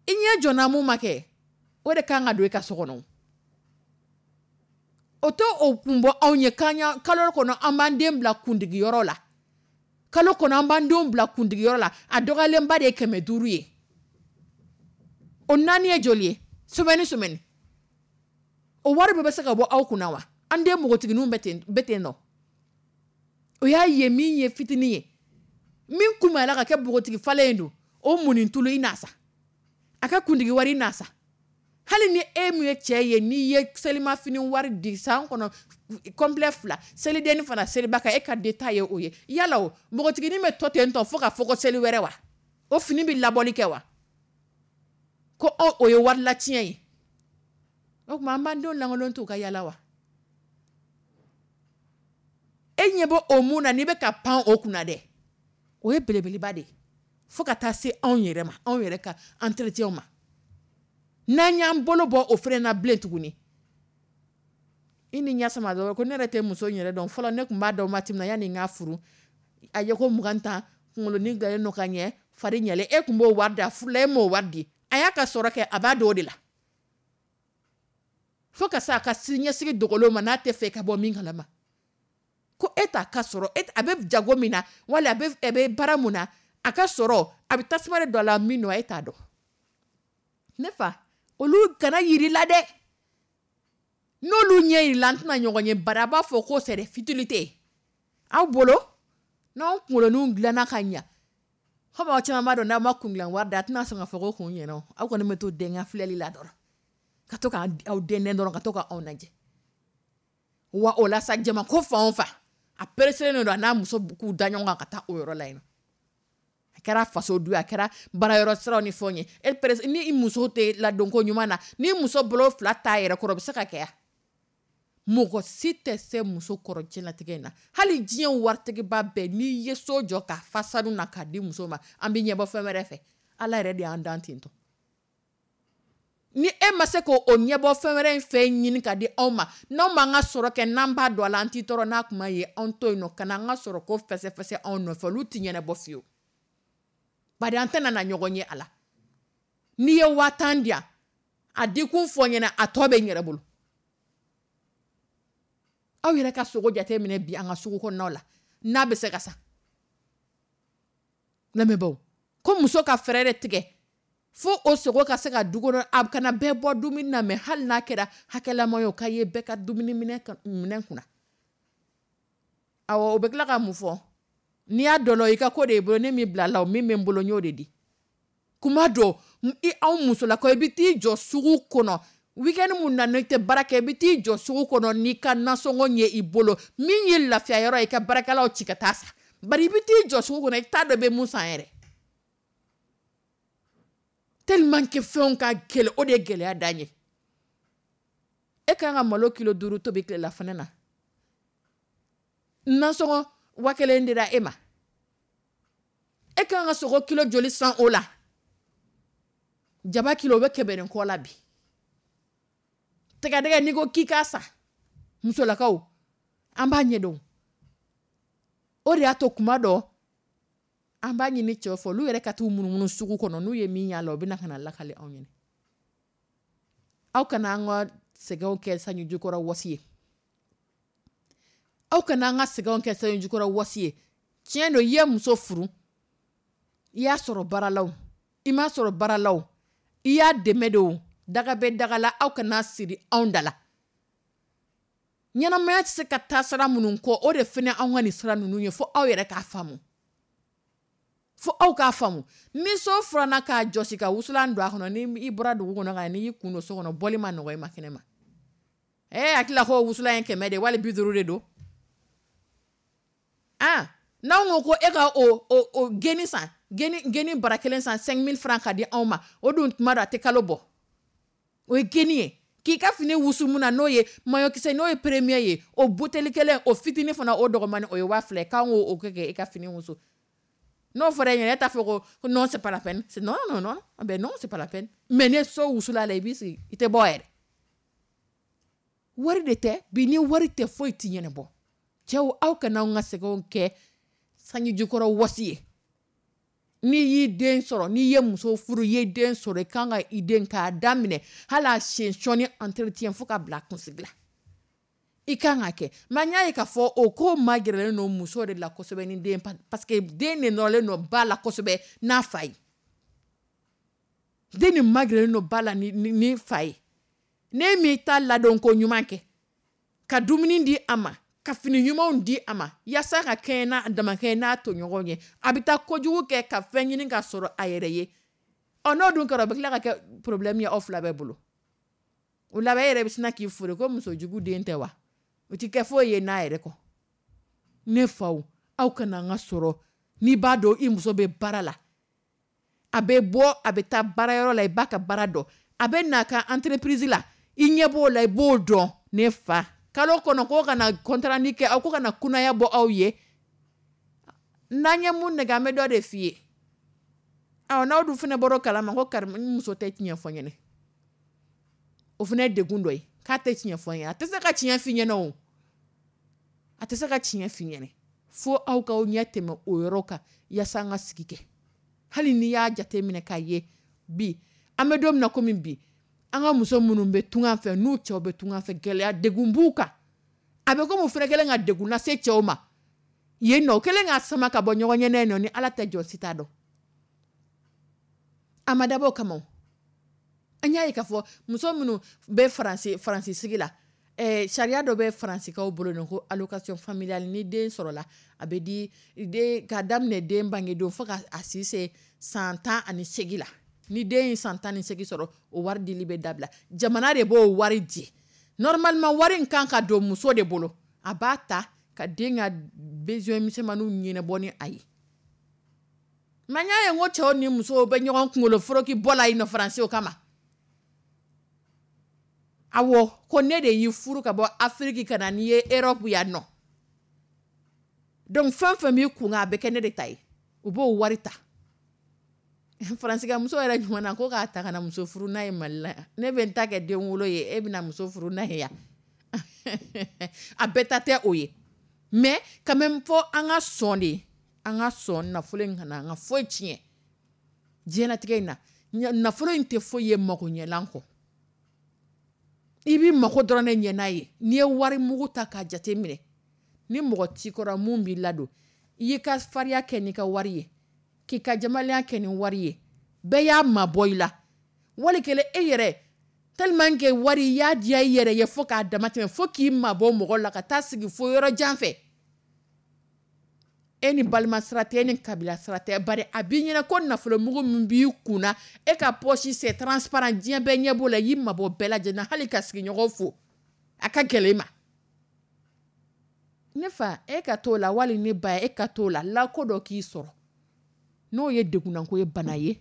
i ɲɛ jɔnna mun ma kɛ, o de kan ka don i ka so kɔnɔ. O tɛ o kun bɔ anw ye k'an kalo kɔnɔ an b'an den bila kundigiyɔrɔ la. Kalo kɔnɔ an b'an denw bila kundigiyɔrɔ la, a dɔgɔyalenba de ye kɛmɛ duuru ye. O naani ye joli ye? Semaine semaine. O wari bɛɛ bɛ se ka bɔ aw kunna wa? An den npogotigininw bɛ ten bɛ ten nɔ. O y'a ye min ye fitinin ye. Min kunbayala ka kɛ npogotigi falen ye don, o munni tulu i n'a sa. A ka kundigi wari i n'a sa. Hali ni e min ye cɛ ye, n'i ye selimafini wari di san kɔnɔ complet fila, selidenni fana seliba kan, e ka den ta ye o ye. Yala o, npogotiginin bɛ to ten tɔ fo ka fɔ ko seli wɛrɛ wa? O fini bɛ labɔli kɛ wa? Ko o ye wari latiɲɛ ye. O tuma an b'an denw lankolon t'u ka yala wa? E ɲɛ bɛ o mun na, n'i bɛ ka pan o kunna dɛ, o ye belebeleba de ye. Fo ka taa se anw yɛrɛ ma, anw yɛrɛ ka entretien ma. N'an y'an bolo bɔ o fana na bilen tuguni. I ni ɲɛ sama dɔrɔn ko ne yɛrɛ tɛ muso in yɛrɛ dɔn. Fɔlɔ ne tun b'a dɔn waati min na, yanni n k'a furu, a ye ko mugan tan, kunkolonin dilannen don ka ɲɛ, fari ɲɛlen, e tun b'o wari di, a furula e m'o wari di. A y'a ka sɔrɔ kɛ, a b'a dɔn o de la. Fo ka se a ka siniɲɛsigi dogolenw ma, n'a tɛ fɛ ka bɔ min kalama. Ko e t'a ka sɔrɔ, e a bɛ jago min na, wala a bɛ a bɛ baara mun na, a ka sɔrɔ, a bɛ tasuma de don a la min nɔ, e t'a dɔn. Ne fa, olu kana yir'i la dɛ. N'olu ɲɛ yir'i la, an tɛna ɲɔgɔn ye, bari a b'a fɔ ko c'est des futilités. Aw bolo, n'anw kunkoloninw dilanna ka ɲa, komi aw caman b'a dɔn n'aw ma kun dilan wari di, a tɛna sɔn ka fɔ ko kun ɲɛna. Aw kɔni bɛ to den filɛli la dɔrɔn. Ka to k'aw dɛndɛn dɔrɔn, ka to k'anw lajɛ. Wa o la sa, jama ko fan o fan, a pereselen don a n'a muso k'u da ɲɔgɔn kan ka taa o yɔrɔ la yen. A kɛra faso du ye, a kɛra baarayɔrɔ siraw ni fɛnw ye. E presse ni muso tɛ ladonko ɲuman na, ni muso bolo fila t'a yɛrɛ kɔrɔ, o bɛ se ka kɛ ya. Mɔgɔ si tɛ se muso kɔrɔ diɲɛlatigɛ in na. Hali diɲɛ waritigiba bɛɛ, n'i ye so jɔ k'a fa sanu na k'a di muso ma, an bɛ ɲɛbɔ fɛn wɛrɛ fɛ. Ala yɛrɛ de y'an dan ten tɔ. Ni e ma se k'o ɲɛbɔ fɛn wɛrɛ in fɛ ɲini ka di anw ma, n'anw b'an ka sɔrɔ kɛ, n'an b'a dɔn a la, an t'i tɔɔrɔ n'a kuma ye, anw to yen nɔ ka n'an ka sɔrɔ ko fɛsɛfɛsɛ anw nɔfɛ, olu tɛ ɲɛnabɔ fiyewu. Bari an tɛna na ɲɔgɔn ye a la. N'i ye waa tan di yan, a dikun fɔ n ɲɛna, a tɔ bɛ n yɛrɛ bolo. Aw yɛrɛ ka sogo jate minɛ bi an ka sugu kɔnɔnaw la, n'a bɛ se ka sa. Lamɛnbaaw, ko muso ka fɛɛrɛ de tigɛ fo o sogo ka se ka du kɔnɔ, a kana bɛɛ bɔ dumuni na, mɛ hali n'a kɛra hakɛlama ye, o ka ye bɛɛ ka dumuni minɛ minɛn kunna. Awɔ, o bɛ tila ka mun fɔ? N'i y'a dɔn i ka ko de y'i bolo, ne m'i bila la, o min bɛ n bolo n y'o de di. Kuma dɔ i anw musolakaw, i bɛ t'i jɔ sugu kɔnɔ weekend mun na n'i tɛ baara kɛ, i bɛ t'i jɔ sugu kɔnɔ n'i ka nasɔngɔ ye i bolo, min ye lafiya yɔrɔ ye, i ka baarakɛlaw ci ka taa sa. Bari i bɛ t'i jɔ sugu kɔnɔ, i t'a dɔn i bɛ mun san yɛrɛ. Tellement que fɛnw ka gɛlɛn, o de ye gɛlɛya dan ye. E kan ka malo kilo duuru tobi tilelafana na, nasɔngɔ wa kelen dira e ma, e kan ka sogo kilo joli san o la? Jaba kilo o bɛ kɛmɛ ni kɔ la bi. Tɛgɛdɛgɛ n'i ko k'i k'a san, musolakaw an b'a ɲɛdɔn. O de y'a to kuma dɔ an b'a ɲini cɛw fɛ, olu yɛrɛ ka t'u munumunu sugu kɔnɔ, n'u ye min y'a la, u bɛ na ka na lakale anw ɲɛna. Aw kana an ka sɛgɛnw kɛ sanji jukɔrɔ wɔsi ye. Aw kana an ka sɛgɛnw kɛ sanji jukɔrɔ wɔsi ye. Tiɲɛ don, i ye muso furu, i y'a sɔrɔ baara la o, i m'a sɔrɔ baara la o, i y'a dɛmɛ de o, daga bɛ daga la, aw kana siri anw da la. Ɲɛnamaya tɛ se ka taa sira minnu kɔ, o de fana anw ka nin sira ninnu ye, fo aw yɛrɛ k'a faamu. Fo aw k'a faamu. Ni so furanna k'a jɔsi ka wusulan don a kɔnɔ, ni i bɔra dugu kɔnɔ ka na, n'i y'i kun don so kɔnɔ, bɔli ma nɔgɔ i ma kɛnɛ ma. E hakili la ko wusulan ye kɛmɛ de wali bi duuru de don. Ah, n'anw ko ko e ka o o o geni san, geni geni bara kelen san cinq mille francs ka di anw ma, o dun tuma dɔ a tɛ kalo bɔ. O ye geni ye. K'i ka fini wusu mun na, n'o ye maillot n'o ye premier ye, o buteli kelen o fitinin fana o dɔgɔmani o ye waa fila ye, k'an k'o kɛ k'e ka fini wusu. N'o fɔra e ɲɛna, e t'a fɔ ko non, c'est pas la peine. C'est non non non, ben non, c'est pas la peine. Mais ni so wusula la, i b'i sigi, i tɛ bɔ yɛrɛ. Wari de tɛ bi, ni wari tɛ foyi ti ɲɛnabɔ. Cɛw, aw kana anw ka sɛgɛnw kɛ sanji jukɔrɔ wɔsi ye. N'i y'i den sɔrɔ, n'i ye muso furu, i ye den sɔrɔ, i kan ka i den k'a daminɛ hali a sen sɔnni entretien fo ka bila a kunsigi la, i kan ka kɛ. Mais n y'a ye k'a fɔ o ko magɛrɛlen don muso de la kosɛbɛ ni den, parce que den de nɔrɔlen don ba la kosɛbɛ n'a fa ye. Den de magɛrɛlen don ba la ni ni fa ye. Ne m'i ta ladon ko ɲuman kɛ, ka dumuni di a ma, ka fini ɲumanw di a ma, yaasa ka kɛɲɛ n'a damakɛɲɛ n'a tɔɲɔgɔnw ye, a bɛ taa kojugu kɛ ka fɛn ɲini ka sɔrɔ a yɛrɛ ye. Ɔ, n'o dun kɛra, o bɛ tila ka kɛ problème ye aw fila bɛɛ bolo. O laban, e yɛrɛ bɛ sina k'i fure ko muso jugu den tɛ wa, o ti kɛ foyi ye n'a yɛrɛ kɔ. Ne faw, aw kana an ka sɔrɔ. N'i b'a dɔn i muso bɛ baara la, a bɛ bɔ a bɛ taa baarayɔrɔ la, i b'a ka baara dɔn, a bɛ n'a ka entreprise la, i ɲɛ b'o la, i b'o dɔn. Ne fa, kalo kɔnɔ ko kana compte rendu kɛ aw, ko kana kunaya bɔ aw ye. N'an ye mun nɛgɛ, an bɛ dɔ de f'i ye. Awɔ, n'aw dun fana bɔra o kalama ko kari n muso tɛ tiɲɛ fɔ n ɲɛna, o fana ye degun dɔ ye. K'a tɛ tiɲɛ fɔ n ɲɛna, a tɛ se ka tiɲɛ f'i ɲɛna o, a tɛ se ka tiɲɛ f'i ɲɛna. Fo aw k'aw ɲɛ tɛmɛ o yɔrɔ kan yaasa an ka sigi kɛ. Hali n'i y'a jate minɛ k'a ye bi, an bɛ don min na komi bi, an ka muso minnu bɛ tunga fɛ, n'u cɛw bɛ tunga fɛ, gɛlɛya degun b'u kan. A bɛ komi u fana kɛlen ka degun lase cɛw ma yen nɔ, o kɛlen k'a sama ka bɔ ɲɔgɔn ɲɛnɛ nɔ, ni Ala tɛ jɔ si t'a dɔn. A ma dabɔ o kama o. An y'a ye k'a fɔ muso minnu bɛ faransi faransi sigi la, ɛɛ sariya dɔ bɛ faransikaw bolo nɔ ko allocation familiale. Ni den sɔrɔla, a bɛ di den k'a daminɛ den bangedon fo ka a si se san tan ani seegin la. Ni den ye san tan ni seegin sɔrɔ, o wari dili bɛ dabila. Jamana de b'o wari di. Normalement wari in kan ka don muso de bolo, a b'a ta ka den ka besoin misɛnmaninw ɲɛnabɔ ni a ye. Mais n y'a ye n ko cɛw ni musow bɛ ɲɔgɔn kunkolo foroki bɔ la yen nɔ faransi o kama. Awɔ, ko ne de y'i furu ka bɔ Afiriki ka na n'i ye Europe yan nɔ. Donc fɛn fɛn b'i kun kan, a bɛ kɛ ne de ta ye. U b'o wari ta. Faransi muso yɛrɛ ɲuman na ko k'a ta ka na muso furu n'a ye Mali la. Ne bɛ n ta kɛ den wolo ye, e bɛna muso furu n'a ye yan. A bɛɛ ta tɛ o ye, mais quand même, fɔ an ka sɔn de, an ka sɔn nafolo in kana an ka foyi tiɲɛ diɲɛlatigɛ in na. Nafolo in tɛ foyi ye mako ɲɛlan kɔ. I b'i mako dɔrɔn de ɲɛ n'a ye. N'i ye wari mugu ta k'a jate minɛ, ni mɔgɔ t'i kɔrɔ mun b'i ladon, i y'i ka farinya kɛ n'i ka wari ye, k'i ka jamalenya kɛ ni wari ye, bɛɛ y'a mabɔ i la. Wali kelen e yɛrɛ, tellement que wari i y'a diya i yɛrɛ ye fo k'a dama tɛmɛ, fo k'i mabɔ mɔgɔ la ka taa sigi fo yɔrɔ jan fɛ. E ni balima sira tɛ, e ni kabila sira tɛ, bari a b'i ɲɛna ko nafolomugu min b'i kun na, e ka poche, c'est transparent, diɲɛ bɛɛ ɲɛ b'o la. I y'i mabɔ bɛɛ lajɛlen na, hali ka sigiɲɔgɔn fo a ka gɛlɛn i ma. Ne fa, e ka t'o la, wali ne ba, e ka t'o la, lako dɔ k'i sɔrɔ, n'o ye degunnako ye, bana ye,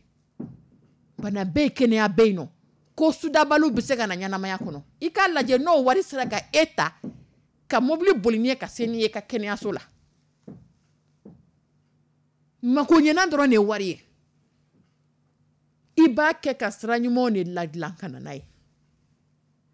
bana bɛ yen, kɛnɛya bɛ yen nɔ, ko sudabaliw bɛ se ka na ɲɛnamaya kɔnɔ. I k'a lajɛ, n'o wari sera ka e ta ka mobili boli n'i ye ka se n'i ye ka kɛnɛyaso la. Mako ɲɛna dɔrɔn de ye wari ye. I b'a kɛ ka sira ɲumanw de ladilan ka na n'a ye,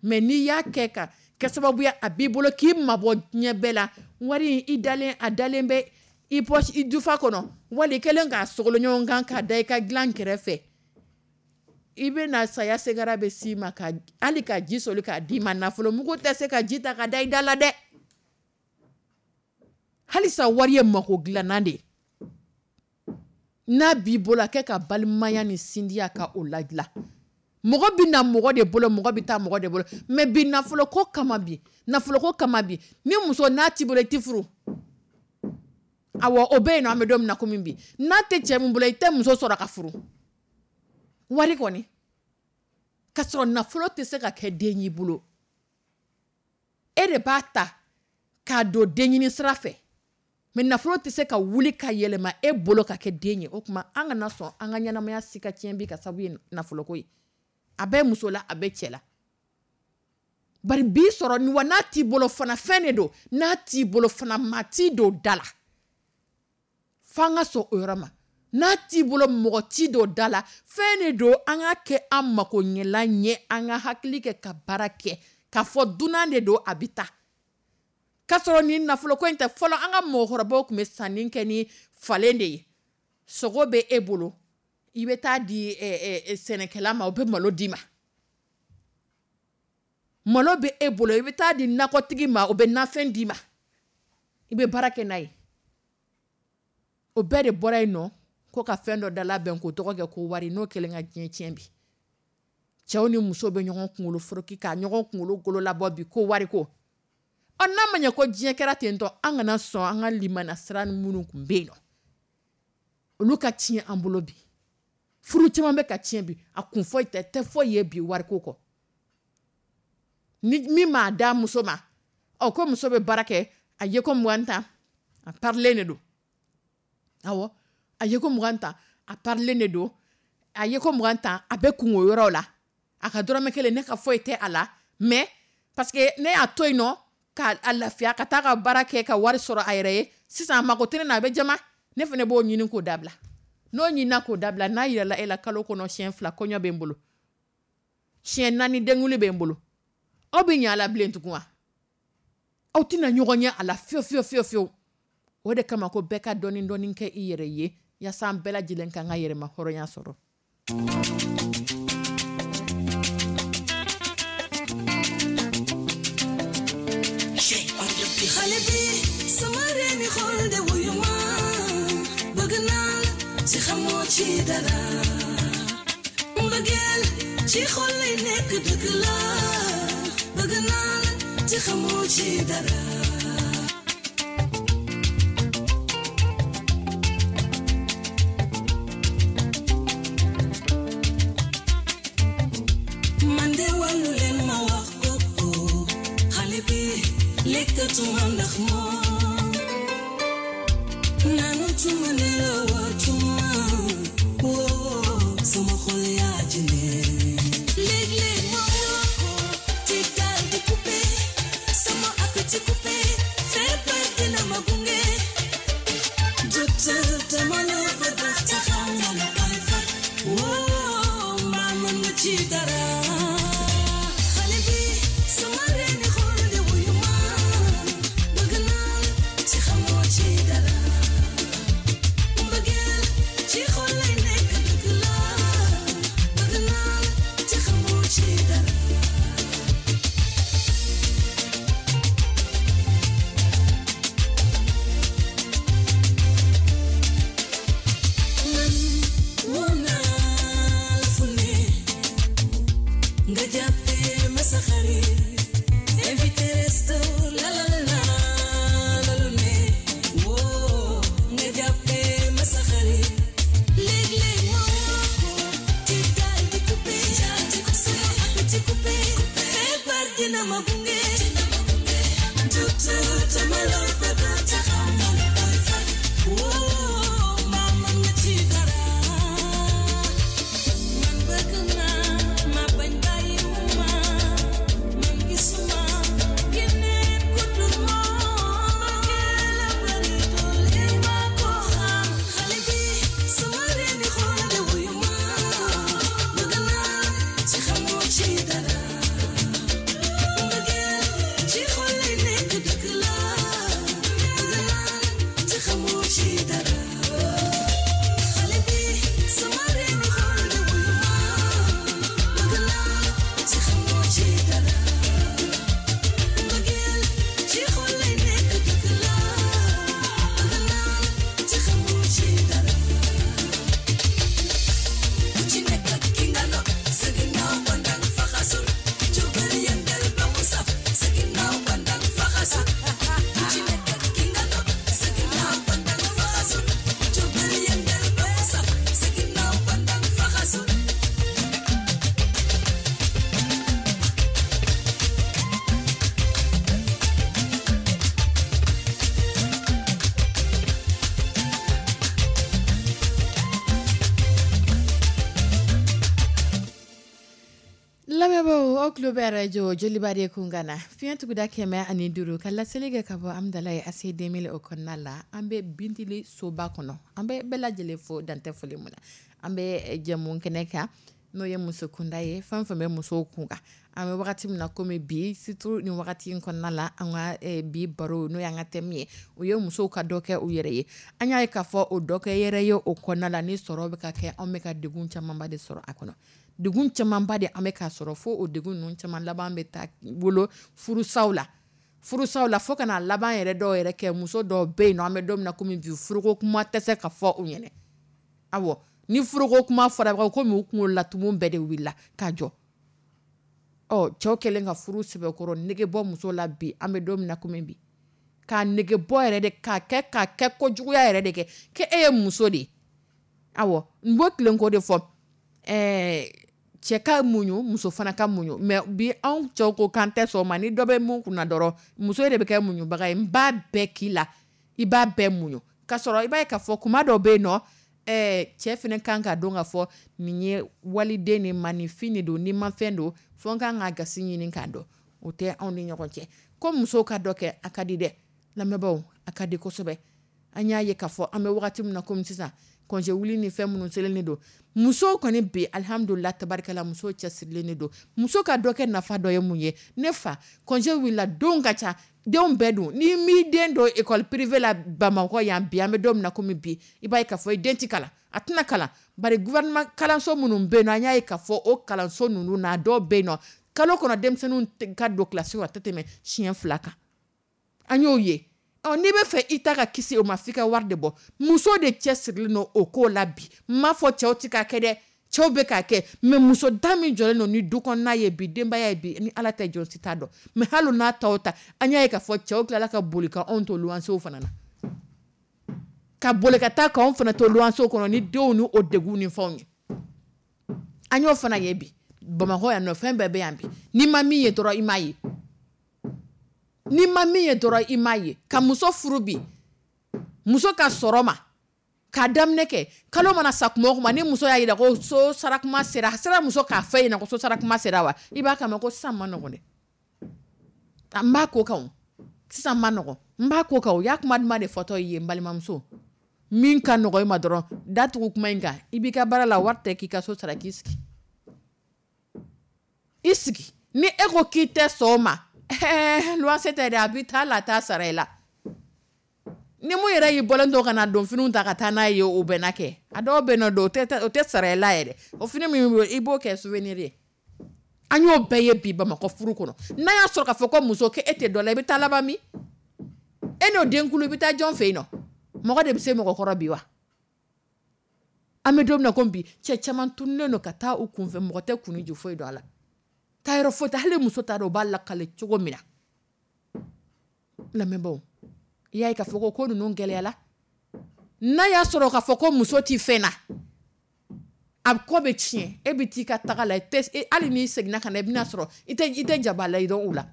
mais n'i y'a kɛ ka kɛ sababu ye a b'i bolo k'i mabɔ diɲɛ bɛɛ la, wari in i dalen, a dalen bɛ i poche, i dufa kɔnɔ, wali i kɛlen k'a sogolo ɲɔgɔn kan k'a da i ka dilan kɛrɛfɛ, i bɛ na saya segara bɛ s'i ma, ka hali ka ji soli k'a d'i ma, nafolo mugu tɛ se ka ji ta ka da i da la dɛ. Halisa wari ye mako dilannan de ye. N'a b'i bolo, a kɛ ka balimaya ni sindiya ka o ladilan. Mɔgɔ bɛ na mɔgɔ de bolo, mɔgɔ bɛ taa mɔgɔ de bolo, mais bi nafolo ko kama, bi nafolo ko kama, bi ni muso n'a t'i bolo, i tɛ furu. Awɔ, o bɛ yen nɔ. An bɛ don min na komi bi, n'a tɛ cɛ min bolo, i tɛ muso sɔrɔ ka furu. Wari kɔni ka sɔrɔ, nafolo tɛ se ka kɛ den y'i bolo. E de b'a ta k'a don denɲini sira fɛ, mais nafolo tɛ se ka wuli ka yɛlɛma e bolo ka kɛ den ye. O tuma an kana sɔn an ka ɲɛnamaya si ka tiɲɛ bi ka sababu ye nafoloko ye. A bɛ muso la, a bɛ cɛ la. Bari bi sɔrɔ ni wa, n'a t'i bolo fana, fɛn de don. N'a t'i bolo fana, maa t'i don da la. F'an ka sɔn o yɔrɔ ma. N'a t'i bolo, mɔgɔ t'i don da la. Fɛn de don, an ka kɛ an mako ɲɛlan ye, an ka hakili kɛ ka baara kɛ k'a fɔ dunan de don, a bɛ taa k'a sɔrɔ nin nafoloko in tɛ. Fɔlɔ, an ka mɔgɔkɔrɔbaw tun bɛ sanni kɛ ni falen de ye. Sogo bɛ e bolo, i bɛ taa di sɛnɛkɛla ma, o bɛ malo d'i ma. Malo bɛ e bolo, i bɛ taa di nakɔtigi ma, o bɛ nafɛn d'i ma, i bɛ baara kɛ n'a ye. O bɛɛ de bɔra yen nɔ ko ka fɛn dɔ da labɛn k'o tɔgɔ kɛ ko wari. N'o kɛlen ka diɲɛ tiɲɛ bi, cɛw ni musow bɛ ɲɔgɔn kunkolo foroki k'a ɲɔgɔn kunkolo golo labɔ bi ko wari ko. Ɔ, n'a ma ɲɛ ko diɲɛ kɛra ten tɔ, an kana sɔn an ka limana sira minnu tun bɛ yen nɔ, olu ka tiɲɛ an bolo bi. Furu caman bɛ ka tiɲɛ bi, a kun foyi tɛ tɛ foyi ye bi wariko kɔ. Ni min m'a da muso ma, ɔ, ko muso bɛ baara kɛ, a ye ko mugan ta, a parilen de don. Awɔ, a ye ko mugan ta, a parilen de don. A ye ko mugan ta, a bɛ kungo yɔrɔ la, a ka dɔrɔmɛ kelen ne ka foyi tɛ a la, mais parce que ne y'a to yen nɔ k'a lafiya ka taa ka baara kɛ ka wari sɔrɔ a yɛrɛ ye. Sisan a mako tɛ ne na, a bɛ jama, ne fana b'o ɲini k'o dabila. N'o ɲinina k'o dabila, n'a yirala e la, kalo kɔnɔ siɲɛ fila kɔɲɔ bɛ n bolo, siɲɛ naani denkuli bɛ n bolo, aw bɛ ɲɛ a la bilen tugun wa? Aw tɛna ɲɔgɔn ye a la fiyewu fiyewu fiyewu fiyewu. O de kama ko bɛɛ ka dɔɔni dɔɔni kɛ i yɛrɛ ye, yaasa an bɛɛ lajɛlen k'an ka yɛrɛma hɔrɔnya sɔrɔ. Xale bi sama reeni xol de, wuyu ma, bëgg naa la ci xamoo ci dara. Mbëggeel ci xol lay nekk, dëgg la, bëgg naa la ci xamoo ci dara. Man de wàllu leen ma wax ko, xale bi lekkatuma ndax moom, naanutuma, nelawatuma, woo sama xol yaa ci ne. Léeg-léeg ma woo ko te Appétit coupé, feebar dina ma gunge. Docteur dama la bëgg te xaw ma lu koy faj. Woo, mbaa mën nga ci dara. Xale bi sama reeni xol di wuyu ma. Bëgg naa ci xamoo ci dara. Mbëggeel ci xol lay nekk dëgg la. Bëgg naa ci xamoo ci dara. Man woo naa la fu ne nga jàppee ma sa xarit invité resto lalal naa la lu ne woo nga jàppee ma sa xarit léeg-léeg ma woo ko ci daal di coupé daal di coupé sama appétit coupé feebar dina ma gunge docteur dama la bëgg te xaw ma lu koy faj woo mbaa mën nga ci dara. Man bëgg naa ma bañ bàyyiwuma man gisuma keneen ku dul moom mbëggeel la bari doole maa ko xam xale bi sama reeni xol de wuyu ma bëgg naa ci xamoo ci dara mbëggeel ci xol lay nekk dëgg la bëgg naa ci xamoo ci dara. Xale bi sama reeni xol de wuyu ma bëgg naa ci xamoo ci dara mbëggeel ci xol lay nekk dëgg la bëgg naa ci xamoo ci dara. Ku ci nekk ak ki nga nopp sa ginnaaw bandang faxasul jógal yëngal ba mu saf sa ginnaaw bandang faxasul ku ci nekk ak ki nga nopp sa ginnaaw bandang faxasul jógal yëngal ba mu saf sa ginnaaw bandang faxasul. Lamɛnbaaw aw tulo bɛ arajo Joliba de kunkan na fiɲɛ tuguda kɛmɛ ani duuru ka laseli kɛ ka bɔ Amudalayi A C deux mille o kɔnɔna la an bɛ Bintili soba kɔnɔ an bɛ bɛɛ lajɛlen fo dantɛ foli mun na an bɛ jɛmu kɛnɛ kan n'o ye muso kunda ye fɛn fɛn bɛ musow kun kan an bɛ wagati min na komi bi surtout nin wagati in kɔnɔna la an ka eh, bi baro n'o y'an ka thème ye o ye musow ka dɔ kɛ u yɛrɛ ye an y'a ye k'a fɔ o dɔ kɛ yɛrɛ ye o kɔnɔna la ni sɔrɔ bɛ ka kɛ anw bɛ ka degun camanba de sɔrɔ a kɔnɔ degun camanba de an bɛ k'a sɔrɔ fo o degun ninnu caman laban bɛ taa wolo furusaw la furusaw la fo ka na laban yɛrɛ dɔw yɛrɛ kɛ muso dɔw bɛ yen nɔ an bɛ don min na komi bi furuko kuma tɛ se ka fɔ u ɲɛna awɔ ni furuko kuma fɔra komi u kunkolo la tumu bɛɛ de wulila ka jɔ ɔ cɛw kɛlen ka furu sɛbɛkɔrɔ nege bɔ muso la bi an bɛ don min na komi bi k'a nege bɔ yɛrɛ de k'a kɛ k'a kɛ kojuguya yɛrɛ de kɛ k'e ye muso de ye awɔ n b'o tilen k'o de fɔ ɛɛ cɛ ka muɲu muso fana ka muɲu mais bi anw cɛw ko k'an tɛ sɔn o ma ni dɔ bɛ mun kunna dɔrɔn muso de bɛ kɛ muɲubaga ye n b'a bɛɛ k'i la i b'a bɛɛ muɲu k'a sɔrɔ i b'a ye k'a fɔ kuma dɔw bɛ yen nɔ ɛɛ cɛ fana kan ka dɔn k'a fɔ nin ye waliden de ma nin fin de don ni ma fɛn don fo n kan ka gasi ɲini k'a dɔn o tɛ anw ni ɲɔgɔn cɛ ko musow ka dɔ kɛ a ka di dɛ lamɛnbaaw a ka di kosɛbɛ an y'a ye k'a fɔ an bɛ wagati min na komi sisan congé wuli ni fɛn minnu selen de don musow kɔni bi alihamudulila tabarikala musow cɛsirilen de don muso ka dɔ kɛ nafa dɔ ye mun ye ne fa congé wulila denw ka ca denw bɛɛ dun n'i m'i den don école privée la Bamakɔ yan bi an bɛ don min na komi bi i b'a ye k'a fɔ i den ti kalan a tɛna kalan bari gouvernement kalanso minnu bɛ yen nɔ an y'a ye k'a fɔ o kalanso ninnu na dɔw bɛ yen nɔ kalo kɔnɔ denmisɛnninw ka don kilasi kɔnɔ a tɛ tɛmɛ siɲɛ fila kan an y'o ye ɔ n'i bɛ fɛ i ta ka kisi o ma f'i ka wari de bɔ muso de cɛsirilen don o ko la bi n m'a fɔ cɛw ti k'a kɛ dɛ cɛw bɛ k'a kɛ mais muso da min jɔlen don ni du kɔnɔna ye bi denbaya ye bi ni ala tɛ jɔn si t'a dɔn mais hali n'a ta o ta an y'a ye k'a fɔ cɛw tilala ka boli ka anw to luwansew fana na ka boli ka taa k'anw fana to luwansew kɔnɔ ni denw ni o degun ni fɛnw ye an y'o fana ye bi Bamakɔ yan nɔ fɛn bɛɛ bɛ yan bi n'i ma min ye dɔrɔn i m'a ye n'i ma min ye dɔrɔn i m'a ye ka muso furu bi muso ka sɔrɔ ma k'a daminɛ kɛ kalo mana sa kuma o kuma ni muso y'a jira ko so sarakuma sera a sera muso k'a fɔ e ɲɛna ko so sarakuma sera wa i b'a kama ko sisan ma nɔgɔn dɛ n b'a ko kan o Sisan ma nɔgɔn, n b'a ko kan, o y'a kuma duman de fɔtɔ ye. N balimamuso, min ka nɔgɔn i ma dɔrɔn, datugu kuma in kan. I b'i ka baara la, wari tɛ k'i ka so sara, k'i sigi, i sigi. Ni e ko k'i tɛ sɔn o ma, luwanse tɛ dɛ, a bɛ taa la, a t'a sara i la. Ni mun yɛrɛ y'i bɔlen to ka na don finiw ta ka taa n'a ye, o bɛ na kɛ. A dɔw bɛ nɔ don, o tɛ sara i la yɛrɛ. O fini min, i b'o kɛ souvenir ye. An y'o bɛɛ ye bi Bamakɔ furu kɔnɔ. N'a y'a sɔrɔ k'a fɔ ko muso k'e tɛ dɔ la, i bɛ taa laban min? E n'o denkulu, i bɛ taa jɔn fɛ yen nɔ? Mɔgɔ de bɛ se mɔgɔ kɔrɔ bi wa? An bɛ don min na ko bi, cɛ caman tununnen don ka taa u kunfɛ, mɔgɔ tɛ kun ju foyi don a la, taa yɔrɔ foyi tɛ. Hali muso t'a dɔn u b'a lakale cogo min na. Lamɛnbaaw, i y'a ye k'a fɔ ko ko ninnu gɛlɛyala. N'a y'a sɔrɔ k'a fɔ ko muso tɛ fɛn na, a kɔ bɛ tiɲɛ. E bɛ t'i ka taga la, hali n'i seginna ka na, i bɛna sɔrɔ i tɛ i tɛ jaba la i dɔn u la.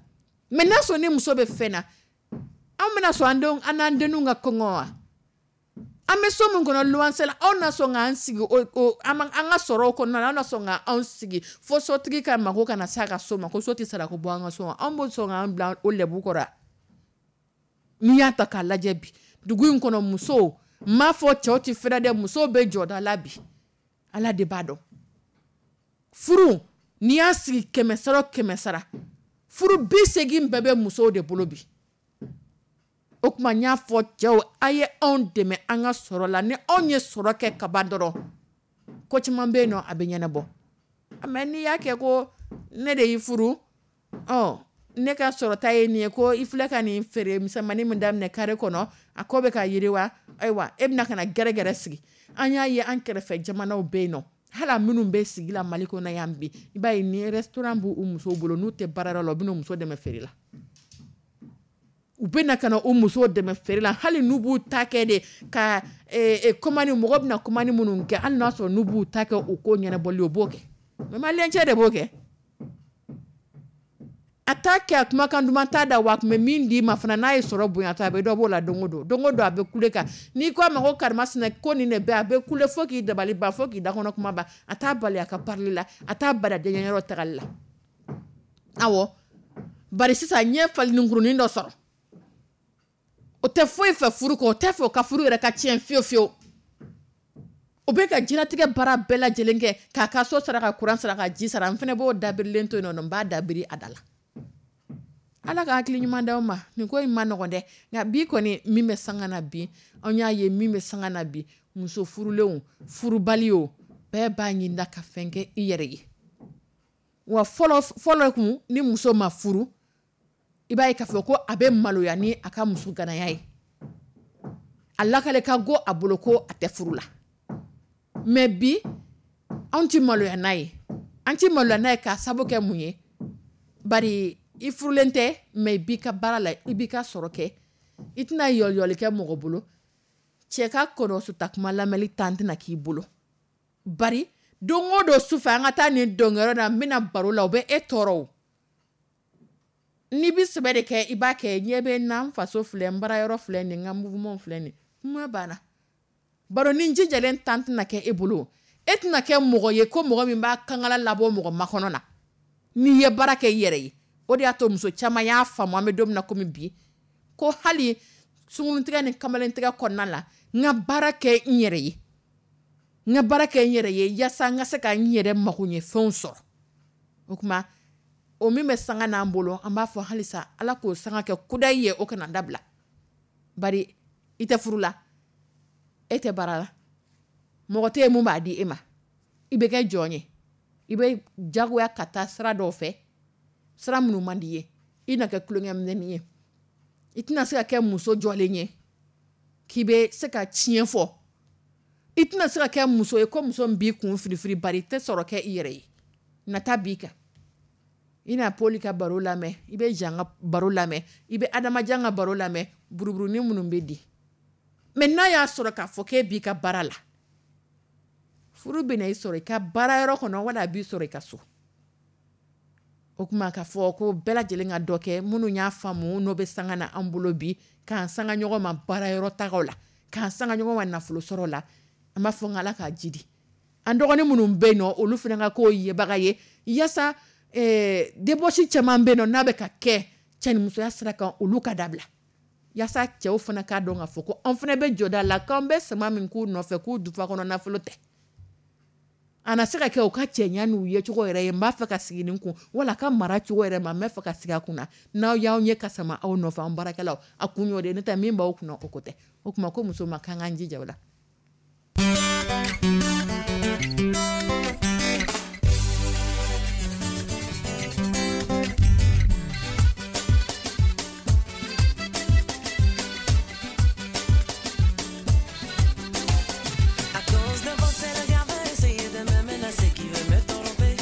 Mɛ n'a sɔrɔ ni muso bɛ fɛn na, an bɛna sɔn an denw, an n'an denninw ka kɔngɔ wa? An bɛ so min kɔnɔ luwanse la, anw na sɔn k'an sigi o an ka sɔrɔ kɔnɔna na, an na sɔn k'anw sigi fo sotigi ka mako kana s'a ka so ma, ko so tɛ sara, ko bɔ an ka so wa? Anw b'o sɔn k'an bila o lɛbu kɔrɔ? N'i y'a ta k'a lajɛ bi dugu in kɔnɔ, musow, n m'a fɔ cɛw tɛ fɛrɛ dɛ, musow bɛ jɔda la bi. Ala de b'a dɔn. Furu, n'i y'a sigi kɛmɛ sara kɛmɛ sara, furu bi seegin bɛɛ bɛ musow de bolo bi. O tuma, n y'a fɔ cɛw, a ye anw dɛmɛ an ka sɔrɔ la. Ni anw ye sɔrɔ kɛ kaban dɔrɔn, ko caman bɛ yen nɔ, a bɛ ɲɛnabɔ. Mɛ n'i y'a kɛ ko ne de y'i furu, ɔ ne ka sɔrɔta ye nin ye, ko i filɛ ka nin feere misɛnmanin min daminɛ kare kɔnɔ, a ko bɛ ka yiriwa, ayiwa, e bɛna ka na gɛrɛgɛrɛ sigi. An y'a ye an kɛrɛfɛ jamanaw bɛ yen nɔ, hali minnu bɛ sigi la Mali kɔnɔ yan bi, i b'a ye ni restaurant b'u musow bolo, n'u tɛ baarayɔrɔ la, u bɛ n'u muso dɛmɛ feere la. U bɛ na ka na u musow dɛmɛ feere la, hali n'u b'u ta kɛ de ka commande, mɔgɔ bɛna commande minnu kɛ, hali n'a sɔrɔ n'u b'u ta kɛ u ko ɲɛnabɔli, u b'o kɛ. Mɛ maliyɛn cɛ de b'o kɛ, a t'a kɛ, a kumakan duman t'a da wa. A tun bɛ min d'i ma fana, n'a ye sɔrɔ bonya ta, a bɛ dɔ b'o la. Don o don, don o don, a bɛ kule kan. N'i ko a ma ko karimasina, ko nin de bɛ, a bɛ kule fo k'i dabali ban, fo k'i dakɔnɔ kuma ban. A t'a bali a ka parili la, a t'a bali a denkɛyɔrɔ tagali la. Awɔ, bari sisan n ye falenikurunin dɔ sɔrɔ, o tɛ foyi fɛ furu kɔ, o tɛ fɛ o ka furu yɛrɛ ka tiɲɛ fiyewu fiyewu. O bɛ ka diɲɛlatigɛ baara bɛɛ lajɛlen kɛ, k'a ka so sara, ka kuran sara, ka ji sara. N fana b'o dabirilen to yen nɔ, n b'a dabiri a da la. Ala ka hakili ɲuman d'aw ma. Nin ko in ma nɔgɔn dɛ, nka bi kɔni, min bɛ sanga na bi, an y'a ye min bɛ sanga na bi, muso furulenw, furubali o, bɛɛ b'a ɲini ka fɛn kɛ i yɛrɛ ye. Wa fɔlɔ fɔlɔ kun, ni muso ma furu, i b'a ye k'a fɔ ko a bɛ maloya ni a ka muso ganaya ye, a lakale ka go a bolo ko a tɛ furu la. Mɛ bi, anw tɛ maloya n'a ye, an tɛ maloya n'a ye k'a sababu kɛ mun ye? Bari i furulen tɛ, mɛ i b'i ka baara la, i b'i ka sɔrɔ kɛ, i tɛna yɔliyɔli kɛ mɔgɔ bolo. Cɛ ka kɔnɔsuta kuma lamɛnli tan tɛna k'i bolo, bari don o don sufɛ, an ka taa nin dɔnkɛyɔrɔ la, n bɛna baro la, o bɛ e tɔɔrɔ. O n'i bɛ sɛbɛ de kɛ, i b'a kɛ ɲɛ bɛ n na, n faso filɛ, n baarayɔrɔ filɛ nin, n ka mouvement filɛ nin, kuma banna. Baro ni jijalen tan tɛna kɛ e bolo. E tɛna kɛ mɔgɔ ye ko mɔgɔ min b'a kankala labɔ mɔgɔ makɔnɔ na n'i ye baara kɛ i yɛrɛ ye. O de y'a to muso caman y'a faamu, an bɛ don min na komi bi, ko hali sunkurutigɛ ni kamalentigɛ kɔnɔna la, n ka baara kɛ n yɛrɛ ye, n ka baara kɛ n yɛrɛ ye, yaasa n ka se ka n yɛrɛ mago ɲɛ fɛnw sɔrɔ. O tuma, o min bɛ sanga n'an bolo, an b'a fɔ halisa Ala k'o sanga kɛ kudayi ye, o kana dabila. Bari i tɛ furu la, e tɛ baara la, mɔgɔ tɛ yen mun b'a di e ma, i bɛ kɛ jɔn ye. I bɛ jagoya ka taa sira dɔw fɛ, sira minnu man di ye. I na kɛ tulonkɛminɛnin ye, i tɛna se ka kɛ muso jɔlen ye k'i bɛ se ka tiɲɛ fɔ. I tɛna se ka kɛ muso ye ko muso min b'i kun firifiri, bari i tɛ sɔrɔ kɛ i yɛrɛ ye. Nata b'i kan. I na Poli ka baro lamɛn, i bɛ Jean ka baro lamɛn, i bɛ Adamajan ka baro lamɛn, buruburunin minnu bɛ di. Mɛ n'a y'a sɔrɔ k'a fɔ k'e b'i ka baara la, furu bɛna i sɔrɔ i ka baara yɔrɔ kɔnɔ, wala a b'i sɔrɔ i ka so. O tuma, k'a fɔ ko bɛɛ lajɛlen ka dɔ kɛ, minnu y'a faamu, n'o bɛ sanga na an bolo bi, k'an sanga ɲɔgɔn ma baara yɔrɔ tagaw la, k'an sanga ɲɔgɔn ma nafolo sɔrɔ la, an b'a fɔ n Ala k'a jidi an dɔgɔnin minnu bɛ yen nɔ, olu fana ka k'o yebaga ye, yaasa débauche caman bɛ yen nɔ n'a bɛ ka kɛ Cɛnimusoya sira kan, olu ka dabila, yaasa cɛw fana k'a dɔn k'a fɔ ko an fana bɛ jɔda la, k'an bɛ sama min k'u nɔfɛ k'u dufa kɔnɔ nafolo tɛ. A na se ka kɛ u ka cɛɲa n'u ye cogo yɛrɛ ye, n b'a fɛ ka sigi nin kun, wala ka mara cogo yɛrɛ ma, n bɛ fɛ ka sigi a kun na. N'aw y'aw ɲɛ ka sama aw nɔfɛ, an baarakɛlaw, a kun y'o de ye, n'o tɛ min b'aw kunna, o ko tɛ. O tuma ko muso ma k'an k'an jija o la. À cause de votre le gars veut essayer de me menacer, qui veut me tromper.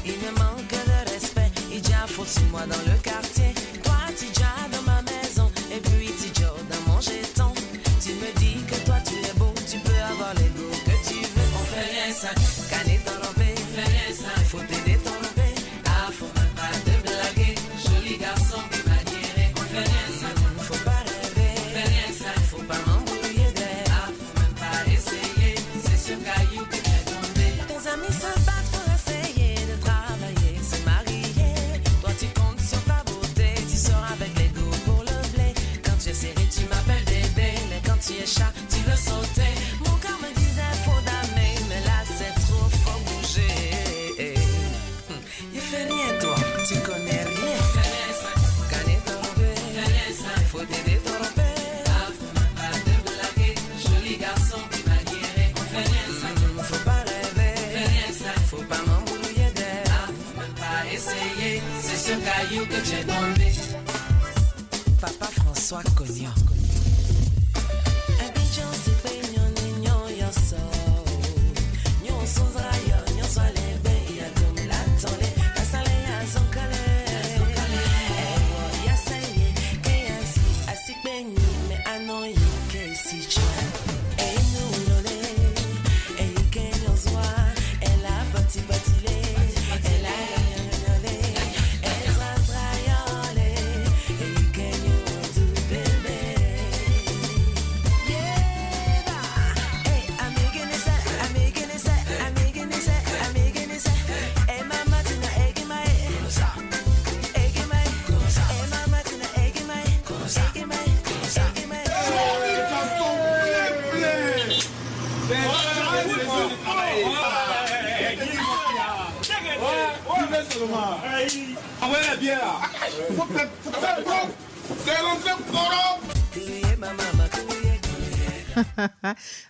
Il me manque de respect, il déjà foutu moi dans le quartier. Toi, tu déjà dans ma maison, et puis tu déjà dans mon jeton. Tu me dis que toi tu es beau, tu peux avoir l'ego que tu veux. On fait rien ça, canner tromper, fait rien ça, faut t'aider tromper. Ah, faut même pas te blaguer, joli garçon, maniéré. On fait rien ça, faut pas rêver, fait rien ça, faut pas m'embrouiller d'air. Ah, faut même pas essayer, c'est ce caillou qui t'est tombé. Tes amis se battent pour essayer de travailler, se marier. Toi tu comptes sur ta beauté, tu sors avec l'ego pour le blé. Quand tu es serré, tu m'appelles bébé, mais quand tu es chat, tu veux sauter. Mon cœur me disait faut damer, mais là c'est trop, faut bouger. Hum, Il fait rien toi, tu connais rien. Gagner ton faut t'aider tromper. Ah, faut même pas te blaguer, joli garçon maniéré. On fait rien ça, faut pas rêver, faut pas m'embrouiller d'air. Ah, faut même pas essayer, c'est ce caillou que tu es tombé. Papa François Cognon. Abidjan, c'est peignon, nignon, yoso. Nyon sonzra yo, nyon soale be, ya dom la tole, la sale ya zonkale. Ewo ya saye, ke ya si, asik benyi, me anon yi ke si chwa. E nou lole, e yi ke nyon zwa, e la pati pati le, e la yanyanyale, e zra zra yole, e yi ke nyon du bebe. Yeah, hey, I'm making it set, I'm making it set, I'm making it set, I'm making it set. Hey, mama, tina, egg in my egg in my, hey, mama, tina, egg in my, egg in my, egg in my. Kuye, mama, kuye, kuye.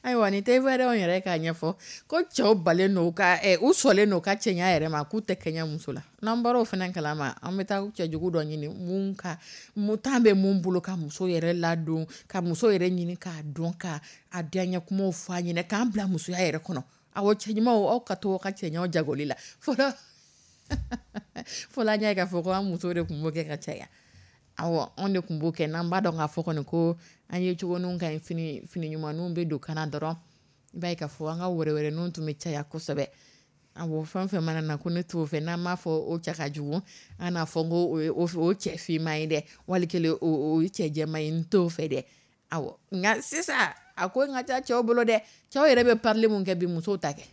Ayiwa, nin tɛ ivoiriyɛnw yɛrɛ k'a ɲɛfɔ ko cɛw balen don ka ɛ u sɔlen don ka cɛɲa yɛrɛ ma, k'u tɛ kɛɲɛ muso la. N'an bɔra o fana kalama, an bɛ taa cɛjugu dɔ ɲini mun ka mun tan bɛ mun bolo ka muso yɛrɛ ladon, ka muso yɛrɛ ɲini k'a dɔn, ka a diyaɲɛ kumaw fɔ a ɲɛna, k'an bila musoya yɛrɛ kɔnɔ. Awɔ, cɛɲumanw, aw ka to aw ka cɛɲaw jagoli la. Fɔlɔ fɔlɔ, an y'a ye k'a fɔ ko an musow de tun b'o kɛ ka caya. Awɔ, anw de tun b'o kɛ. N'an b'a dɔn k'a fɔ kɔni ko an ye cogoninw ka ɲi, fini fini ɲumanninw bɛ don kana dɔrɔn, i b'a ye k'a fɔ an ka wɛrɛwɛrɛninw tun bɛ caya kosɛbɛ. Awɔ, fɛn fɛn mana na ko ne t'o fɛ, n'an m'a fɔ o cɛ ka jugu, an n'a fɔ ko o ye o cɛ finman ye dɛ, wali kelen o o ye cɛ jɛman ye, n t'o fɛ dɛ. Awɔ, nka sisan a ko in ka ca cɛw bolo dɛ. Cɛw yɛrɛ bɛ parili mun kɛ bi, musow ta kɛ.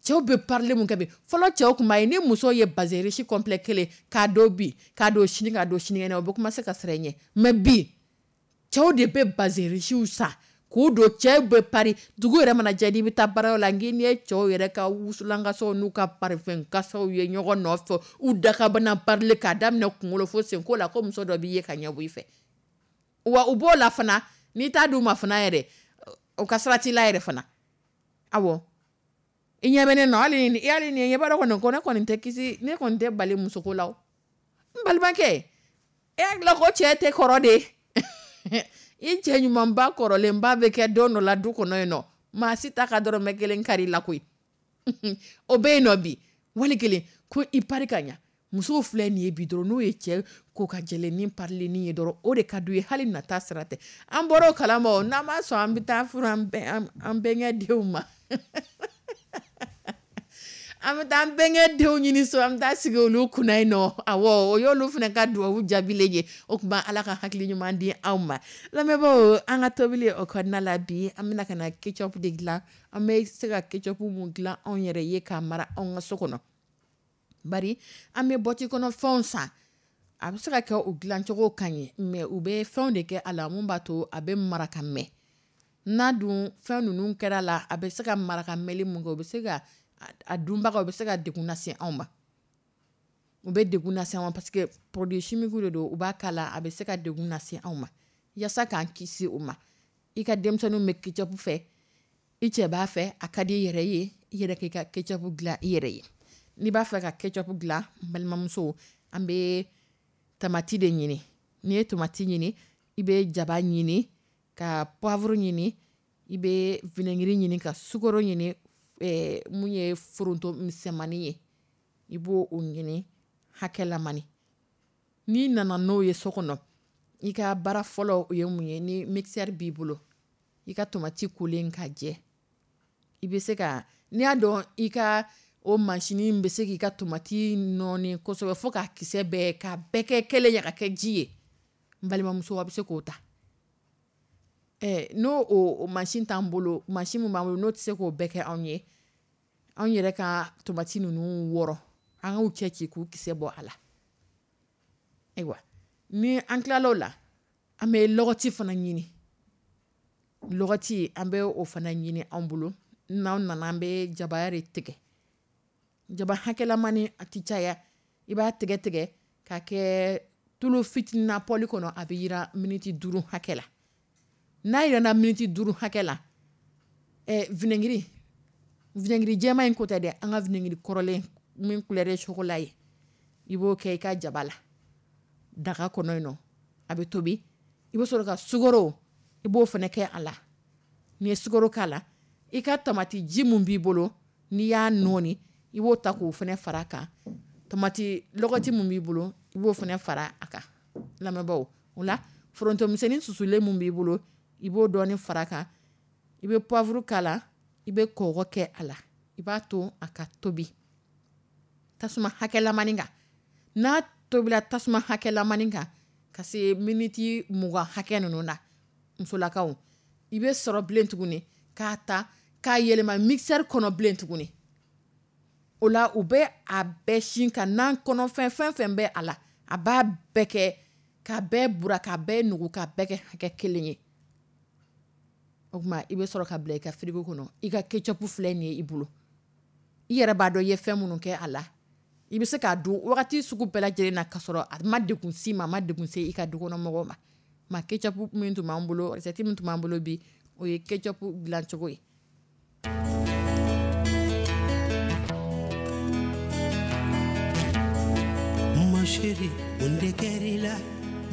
Cɛw bɛ parili mun kɛ bi, fɔlɔ cɛw tun b'a ye ni muso ye bazin riche complet kelen k'a don bi, k'a don sini, k'a don sinikɛnɛ, o bɛ commencer ka siran i ɲɛ. Mais bi cɛw de bɛ bazin richew san k'u don. Cɛw bɛ pari, dugu yɛrɛ mana jɛ, n'i bɛ taa baarayɔrɔ la, n n'i ye cɛw yɛrɛ ka wusulankasaw n'u ka parfum kasaw ye ɲɔgɔn nɔfɛ, u dakabana parili k'a daminɛ kunkolo fo senko la, ko muso dɔ b'i ye ka ɲɛ bɔ i fɛ. Wa u b'o la fana, n'i t'a d'u ma fana yɛrɛ, o ka sira t'i la yɛrɛ fana. Awɔ, i ɲɛ bɛ ne nɔ, hali ni hali ni ɲɛ b'a dɔn kɔni ko ne kɔni tɛ kisi, ne kɔni tɛ bali musoko la o. N balimakɛ, e hakili ko cɛ tɛ kɔrɔ de? I cɛ ɲumanba kɔrɔlenba bɛ kɛ don dɔ la du kɔnɔ yen nɔ, maa si ta ka dɔrɔmɛ kelen kari la koyi. O bɛ yen nɔ bi, wali kelen ko i pari ka ɲa. Musow filɛ nin ye bi dɔrɔn, n'o ye cɛ ko ka jɛlen parilennin ye dɔrɔn, o de ka d'u ye, hali nata sira tɛ. An bɔra o kalama o, n'an m'a sɔn, an bɛ taa furu an an bɛnkɛ denw ma. An bɛ taa an bɛnkɛ denw ɲini so, an bɛ taa sigi olu kunna yen nɔ. Awɔ, o y'olu fana ka duwawu jaabilen ye. O tuma Ala ka hakili ɲuman di anw ma. Lamɛnbaaw, an ka tobili o kɔnɔna la bi, an bɛna ka na ketchup de dilan. An bɛ se ka ketchup mun dilan anw yɛrɛ ye k'a mara anw ka so kɔnɔ, bari an bɛ bɔti kɔnɔ fɛnw san. A bɛ se ka kɛ o dilancogo ka ɲi, mais u bɛ fɛnw de kɛ a la mun b'a to a bɛ mara ka mɛn. N'a dun fɛn ninnu kɛra la, a bɛ se ka mara ka mɛnli mun kɛ, o bɛ se ka a dunbagaw bɛ se ka degun lase anw ma. U bɛ degun lase anw ma parce que produit chimique de don, u b'a k'a la, a bɛ se ka degun lase anw ma. Yaasa k'an kisi o ma, i ka denmisɛnninw bɛ ketchup fɛ, i cɛ b'a fɛ, a ka di i yɛrɛ ye, i yɛrɛ k'i ka ketchup dilan i yɛrɛ ye. N'i b'a fɛ ka ketchup dilan, n balimamuso, an bɛ tamati de ɲini. N'i ye tamati ɲini, i bɛ jaba ɲini, ka poivre ɲini, i bɛ vinaigre ɲini, ka sukaro ɲini, eh, mun ye foronto misɛnmanin ye, i b'o o ɲini hakɛlamani. N'i nana n'o ye so kɔnɔ, i ka baara fɔlɔ o ye mun ye? Ni mixeur b'i bolo, i ka tomati kolen ka jɛ, i bɛ se ka, n'i y'a dɔn i ka o masinin bɛ se k'i ka tomati nɔɔni kosɛbɛ fo k'a kisɛ bɛɛ, k'a bɛɛ kɛ kelen ye ka kɛ ji ye, n balimamuso, a bɛ se k'o ta. Ɛ n'o o, o mansin t'an bolo, mansin min b'an bolo n'o tɛ se k'o bɛɛ kɛ anw ye, anw yɛrɛ ka tomati ninnu wɔrɔ, an k'u cɛ ci k'u kisɛ bɔ a la. Ayiwa, ni an tilala o la, an bɛ lɔgɔti fana ɲini. Lɔgɔti, an bɛ o fana ɲini an bolo. N'aw nana, an bɛ jaba de tigɛ. Jaba hakɛlamani, a tɛ caya. I b'a tigɛ tigɛ k'a kɛ tulu fitinin na pɔli kɔnɔ, a bɛ yira miniti duuru hakɛ la. N'a yirana miniti duuru hakɛ la, ɛ vinaigre, vinaigre jɛman in ko tɛ dɛ, an ka vinaigre kɔrɔlen min couleur ye chocolat ye, i b'o kɛ i ka jaba la daga kɔnɔ yen nɔ, a bɛ tobi. I bɛ sɔrɔ ka sukaro, i b'o fana kɛ a la. N'i ye sukaro k'a la, i ka tamati ji mun b'i bolo, n'i y'a nɔɔni, i b'o ta k'o fana fara a kan. Tamati lɔgɔti mun b'i bolo, i b'o fana fara a kan. Lamɛnbaaw, o la foronto misɛnnin susulen mun b'i bolo, i b'o dɔɔni fara a kan. I bɛ poivre k'a la, i bɛ kɔgɔ kɛ a la, i b'a to a ka tobi tasuma hakɛlamani kan. N'a tobila tasuma hakɛlamani kan ka se miniti mugan hakɛ ninnu na, musolakaw, i bɛ sɔrɔ bilen tuguni k'a ta k'a yɛlɛma mixeur kɔnɔ bilen tuguni. O la, u bɛ a bɛɛ sin ka nan kɔnɔfɛn fɛn fɛn bɛ a la, a b'a bɛɛ kɛ k'a bɛɛ bura, k'a bɛɛ nugu, k'a bɛɛ kɛ hakɛ kelen ye. O tuma, i bɛ sɔrɔ ka bila i ka frigo kɔnɔ. I ka ketchup filɛ nin ye i bolo, i yɛrɛ b'a dɔn i ye fɛn minnu kɛ a la. I bɛ se k'a dun wagati sugu bɛɛ lajɛlen na, k'a sɔrɔ a ma degun s'i ma, a ma degun se i ka dukɔnɔmɔgɔw ma. Ma ketchup min tun b'an bolo, recette min tun b'an bolo bi, o ye ketchup dilancogo ye. Ma chérie, mun de kɛr'i la?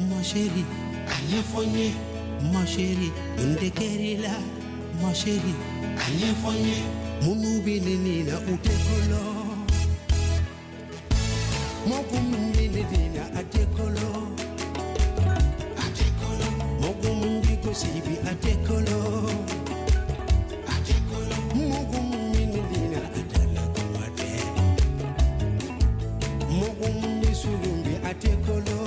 Ma chérie, a ɲɛfɔ n ye. Ma chérie, mun de kɛr'i la? Ma chérie, a ɲɛfɔ n ye. Minnu bɛ ne nin na, u tɛ kolo. Mɔgɔ min bɛ ne nin na, a tɛ kolo. A tɛ kolo. Mɔgɔ min bɛ gosi bi, a tɛ kolo. A tɛ kolo. Mɔgɔ min bɛ ne nin na, a tɛ la kuma tɛ. Mɔgɔ min bɛ surun bi, a tɛ kolo.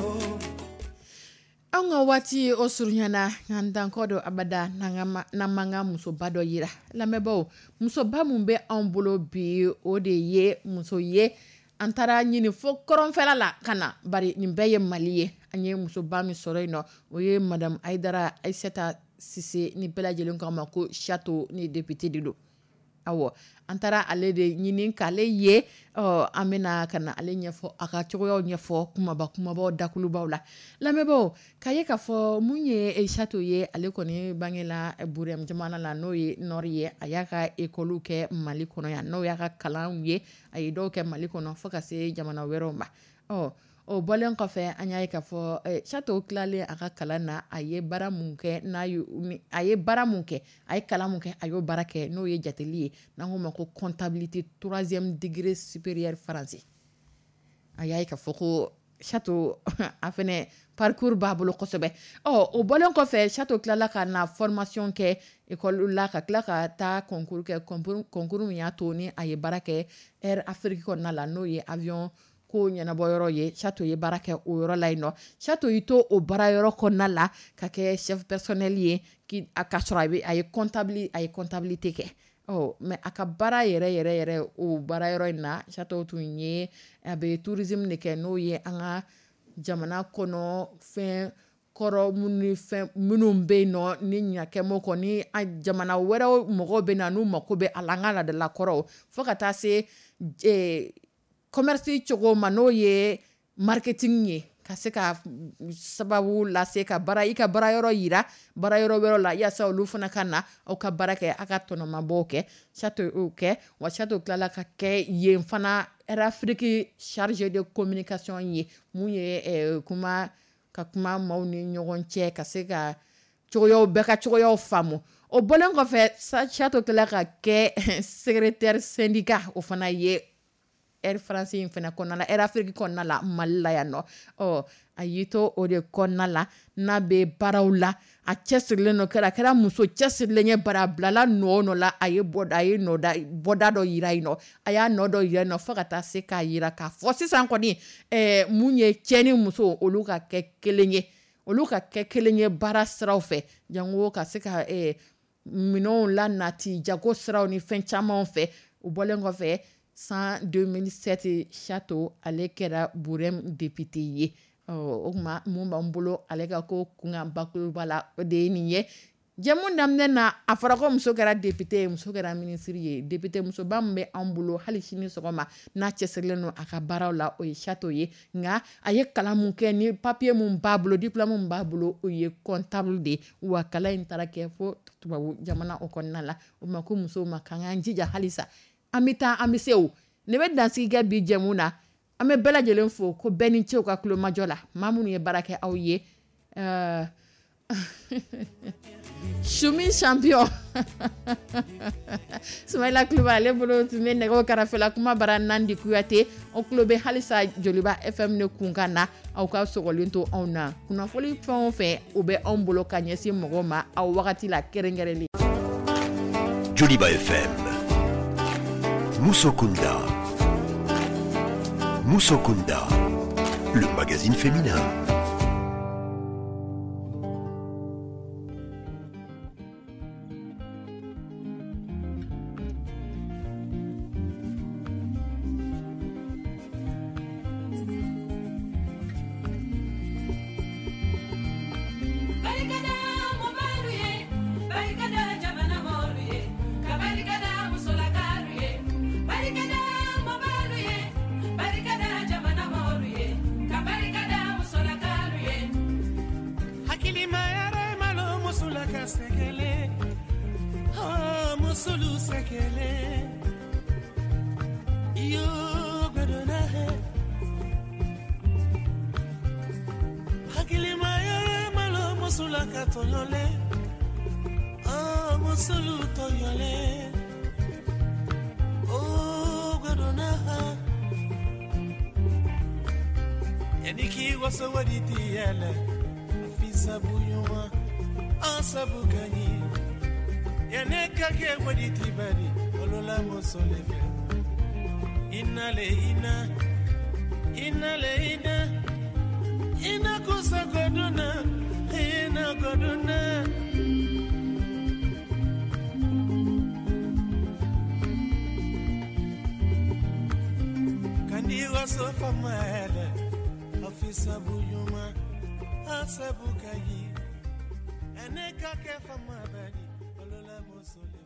An ka waati o surunyana, nka dankɔ dɔ abada n'an m'an ka musoba dɔ yira. Lamɛnbaaw, musoba mun bɛ anw bolo bi, o de ye muso ye an taara ɲini fo kɔrɔnfɛla la ka na, bari nin bɛɛ ye Mali ye. An ye musoba min sɔrɔ yen nɔ, o ye madame Hayidara Ayisata Sise, ni bɛɛ lajɛlen k'a ma ko Sato, ni député de don. Awɔ, an taara ale de ɲini k'ale ye. Ɔ, an bɛna ka na ale ɲɛfɔ, a ka cogoyaw ɲɛfɔ kumaba kumabaw dakulubaw la. Lamɛnbaaw, k'a ye k'a fɔ mun ye Sato ye, ale kɔni bangela Burɛm jamana la, n'o ye Nord ye. A y'a ka école kɛ Mali kɔnɔ yan, n'o y'a ka kalanw ye, a ye dɔw kɛ Mali kɔnɔ fo ka se jamana wɛrɛw ma. Ɔ, o bɔlen kɔfɛ, an y'a ye k'a fɔ Sato tilalen a ka kalan na, a ye baara mun kɛ, n'a ye, a ye baara mun kɛ, a ye kalan mun kɛ, a y'o baara kɛ, n'o ye jateli ye, n'an k'o ma ko comptabilité troisième degré supérieur français. A y'a ye k'a fɔ ko Sato a fɛnɛ parcours b'a bolo kosɛbɛ. Ɔ, o bɔlen kɔfɛ, Sato tilala ka na formation kɛ école la, ka tila ka taa concours kɛ, concours concours min y'a to ni a ye baara kɛ Air Afrique kɔnɔna la, n'o ye avion ko ɲɛnabɔ yɔrɔ ye. Sato ye baara kɛ o yɔrɔ la yen nɔ. Sato y'i to o baara yɔrɔ kɔnɔna la ka kɛ chef personnel ye, ki a ka sɔrɔ a bɛ a ye comptable, a ye comptabilité kɛ. Ɔ, mais a ka baara yɛrɛ yɛrɛ yɛrɛ o baara yɔrɔ in na, Sato tun ye a bɛ tourisme de kɛ, n'o ye an ka Jamana kɔnɔ fɛn kɔrɔ minnu fɛn minnu bɛ yen nɔ ni ɲakɛmɔ kɔ ni jamana wɛrɛw mɔgɔw bɛ na n'u mako bɛ a la an ka laadala kɔrɔw fo ka taa se commerce cogo ma n'o ye marketing ye ka se ka sababu lase ka bara i ka baara yɔrɔ yira baara yɔrɔ wɛrɛ la yaasa olu fana ka na aw ka baara kɛ aw ka tɔnɔmabɔw kɛ Chato y'o kɛ wa Chato tilala ka kɛ yen fana Air Afrique chargé de communication ye mun ye kuma ka kuma maaw ni ɲɔgɔn cɛ ka se ka cogoyaw bɛɛ ka cogoyaw faamu o bɔlen kɔfɛ Chato tilala ka kɛ secrétaire syndicat o fana ye Air France in fana kɔnɔna la Air Afrique kɔnɔna la Mali la yan nɔ ɔ a y'i to o de kɔnɔna la n'a bɛ baaraw la a cɛsirilen don kɛra a kɛra muso cɛsirilen ye bara a bilala nɔ o nɔ la a ye bɔda a ye nɔ bɔda dɔ yira yen nɔ a y'a nɔ dɔ yira yen nɔ fo ka taa se k'a yira k'a fɔ sisan kɔni ɛɛ mun ye cɛ ni muso olu ka kɛ kelen ye olu ka kɛ kelen ye baara siraw fɛ jango ka se ka ɛɛ minɛnw lanati jago siraw ni fɛn camanw fɛ o bɔlen kɔfɛ san deux mille sept Chato ale kɛra Burem député ye o tuma mun b'an bolo ale ka ko kunkan bakuruba la o de ye nin ye jɛmu daminɛ na a fɔra ko muso kɛra député ye muso kɛra ministre ye député musoba min bɛ anw bolo hali sini sɔgɔma n'a cɛsirilen don a ka baaraw la o ye Chato ye nka a ye kalan mun kɛ ni papier mun b'a bolo diplôme mun b'a bolo o ye comptable de ye wa kalan in taara kɛ fo tubabu jamana o kɔnɔna la o ma ko musow ma k'an k'an jija halisa an bɛ taa an bɛ se o ne bɛ dansigi kɛ bi jɛmu na an bɛ bɛɛ lajɛlen fo ko bɛɛ ni ce u ka kulomajɔ la maa minnu ye baara kɛ aw ye ɛɛ Choumi champion Soumaïla Kulubali ale bolo tun bɛ nɛgɛw kɛrɛfɛ la kuma bara Nandi Kuyate o tulo bɛ halisa Joliba F M ne kunkan na aw ka sɔgɔlen to anw na kunnafoni fɛn o fɛn o bɛ anw bolo ka ɲɛsin mɔgɔw ma aw wagati la kɛrɛnkɛrɛnlen. Joliba F M Musokunda. Musokunda, le magazine féminin. Asabu kayi, ene kake fama bani, olola mosole.